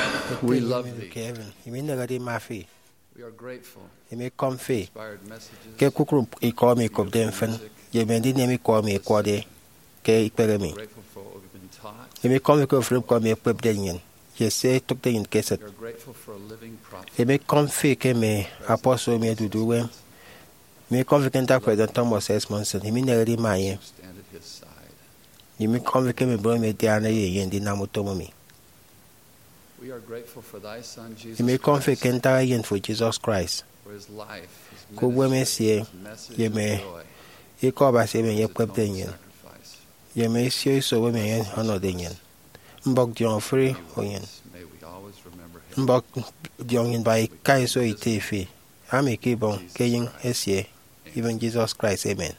we love thee. Ke heaven, emi inehede ima fi. We are grateful. Emi ikọm fi inspired messages, ke kpukpru ikọ emi ikopde mfin, ye mme ndinam ikọ emi ikwọde ke ikpehe mi. Grateful for what we've been taught. Emi ikọm fi ke ofụri ñkpọ emi ekpepde nnyịn, ye se etụkde nnyịn ke esịt. We are grateful for a living prophet. Emi ikọm fi ke mme apostle emi ẹdude uwem. Emi ikọm fi ke ntak President Thomas S. Monson, emi inehede ima enye. Stand at his side. Emi ikọm fi ke mme mbon emi ẹdiana ye enye ndinam utom emi. We are grateful for thy Son, Jesus Christ. Emi ikọm fi ke ntak Eyen fo Jesus Christ, for his life, his ke uwem ministry, esie, his message ye of mme joy. Ikọ Abasi emi enye ekpepde nnyịn, sacrifice, ye mme isio iso emi enye ọnọde nnyịn. Mbọk diọñ ofụri nnyịn. May we always remember him. Mbọk diọñ nnyịn ba ika iso ite fi, ami ke ibọñ ke enyịñ esie, even Jesus Christ. Amen.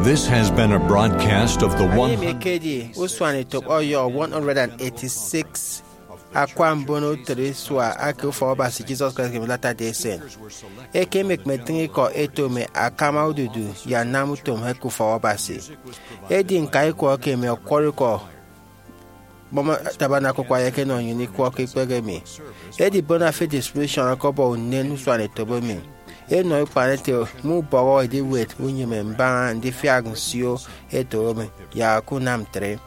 This has been a broadcast of the Anie mi one hundred ekedi usuanetop ọyọ one hundred eighty-six akwa mbono utịt isua ake Ufọkabasi Jesus Christ of Latter-day Saints. Ekem ẹkpetịñ ikọ ẹto mme akama odudu ye anam utom eke Ufọkabasi. Edi ñka ikwọ eke emi ọkwọrọ ikọ Boma Tabernacle Choir ẹkenọ nnyịn ikwọ ke ikpehe emi. Edi Bona Fide Distribution ọkọbọ unen usuanetop emi. Enọ ikpan ete mme ubọhọ ediwet unyịme mbaña ndifiak nsio eto emi yak unam ntre.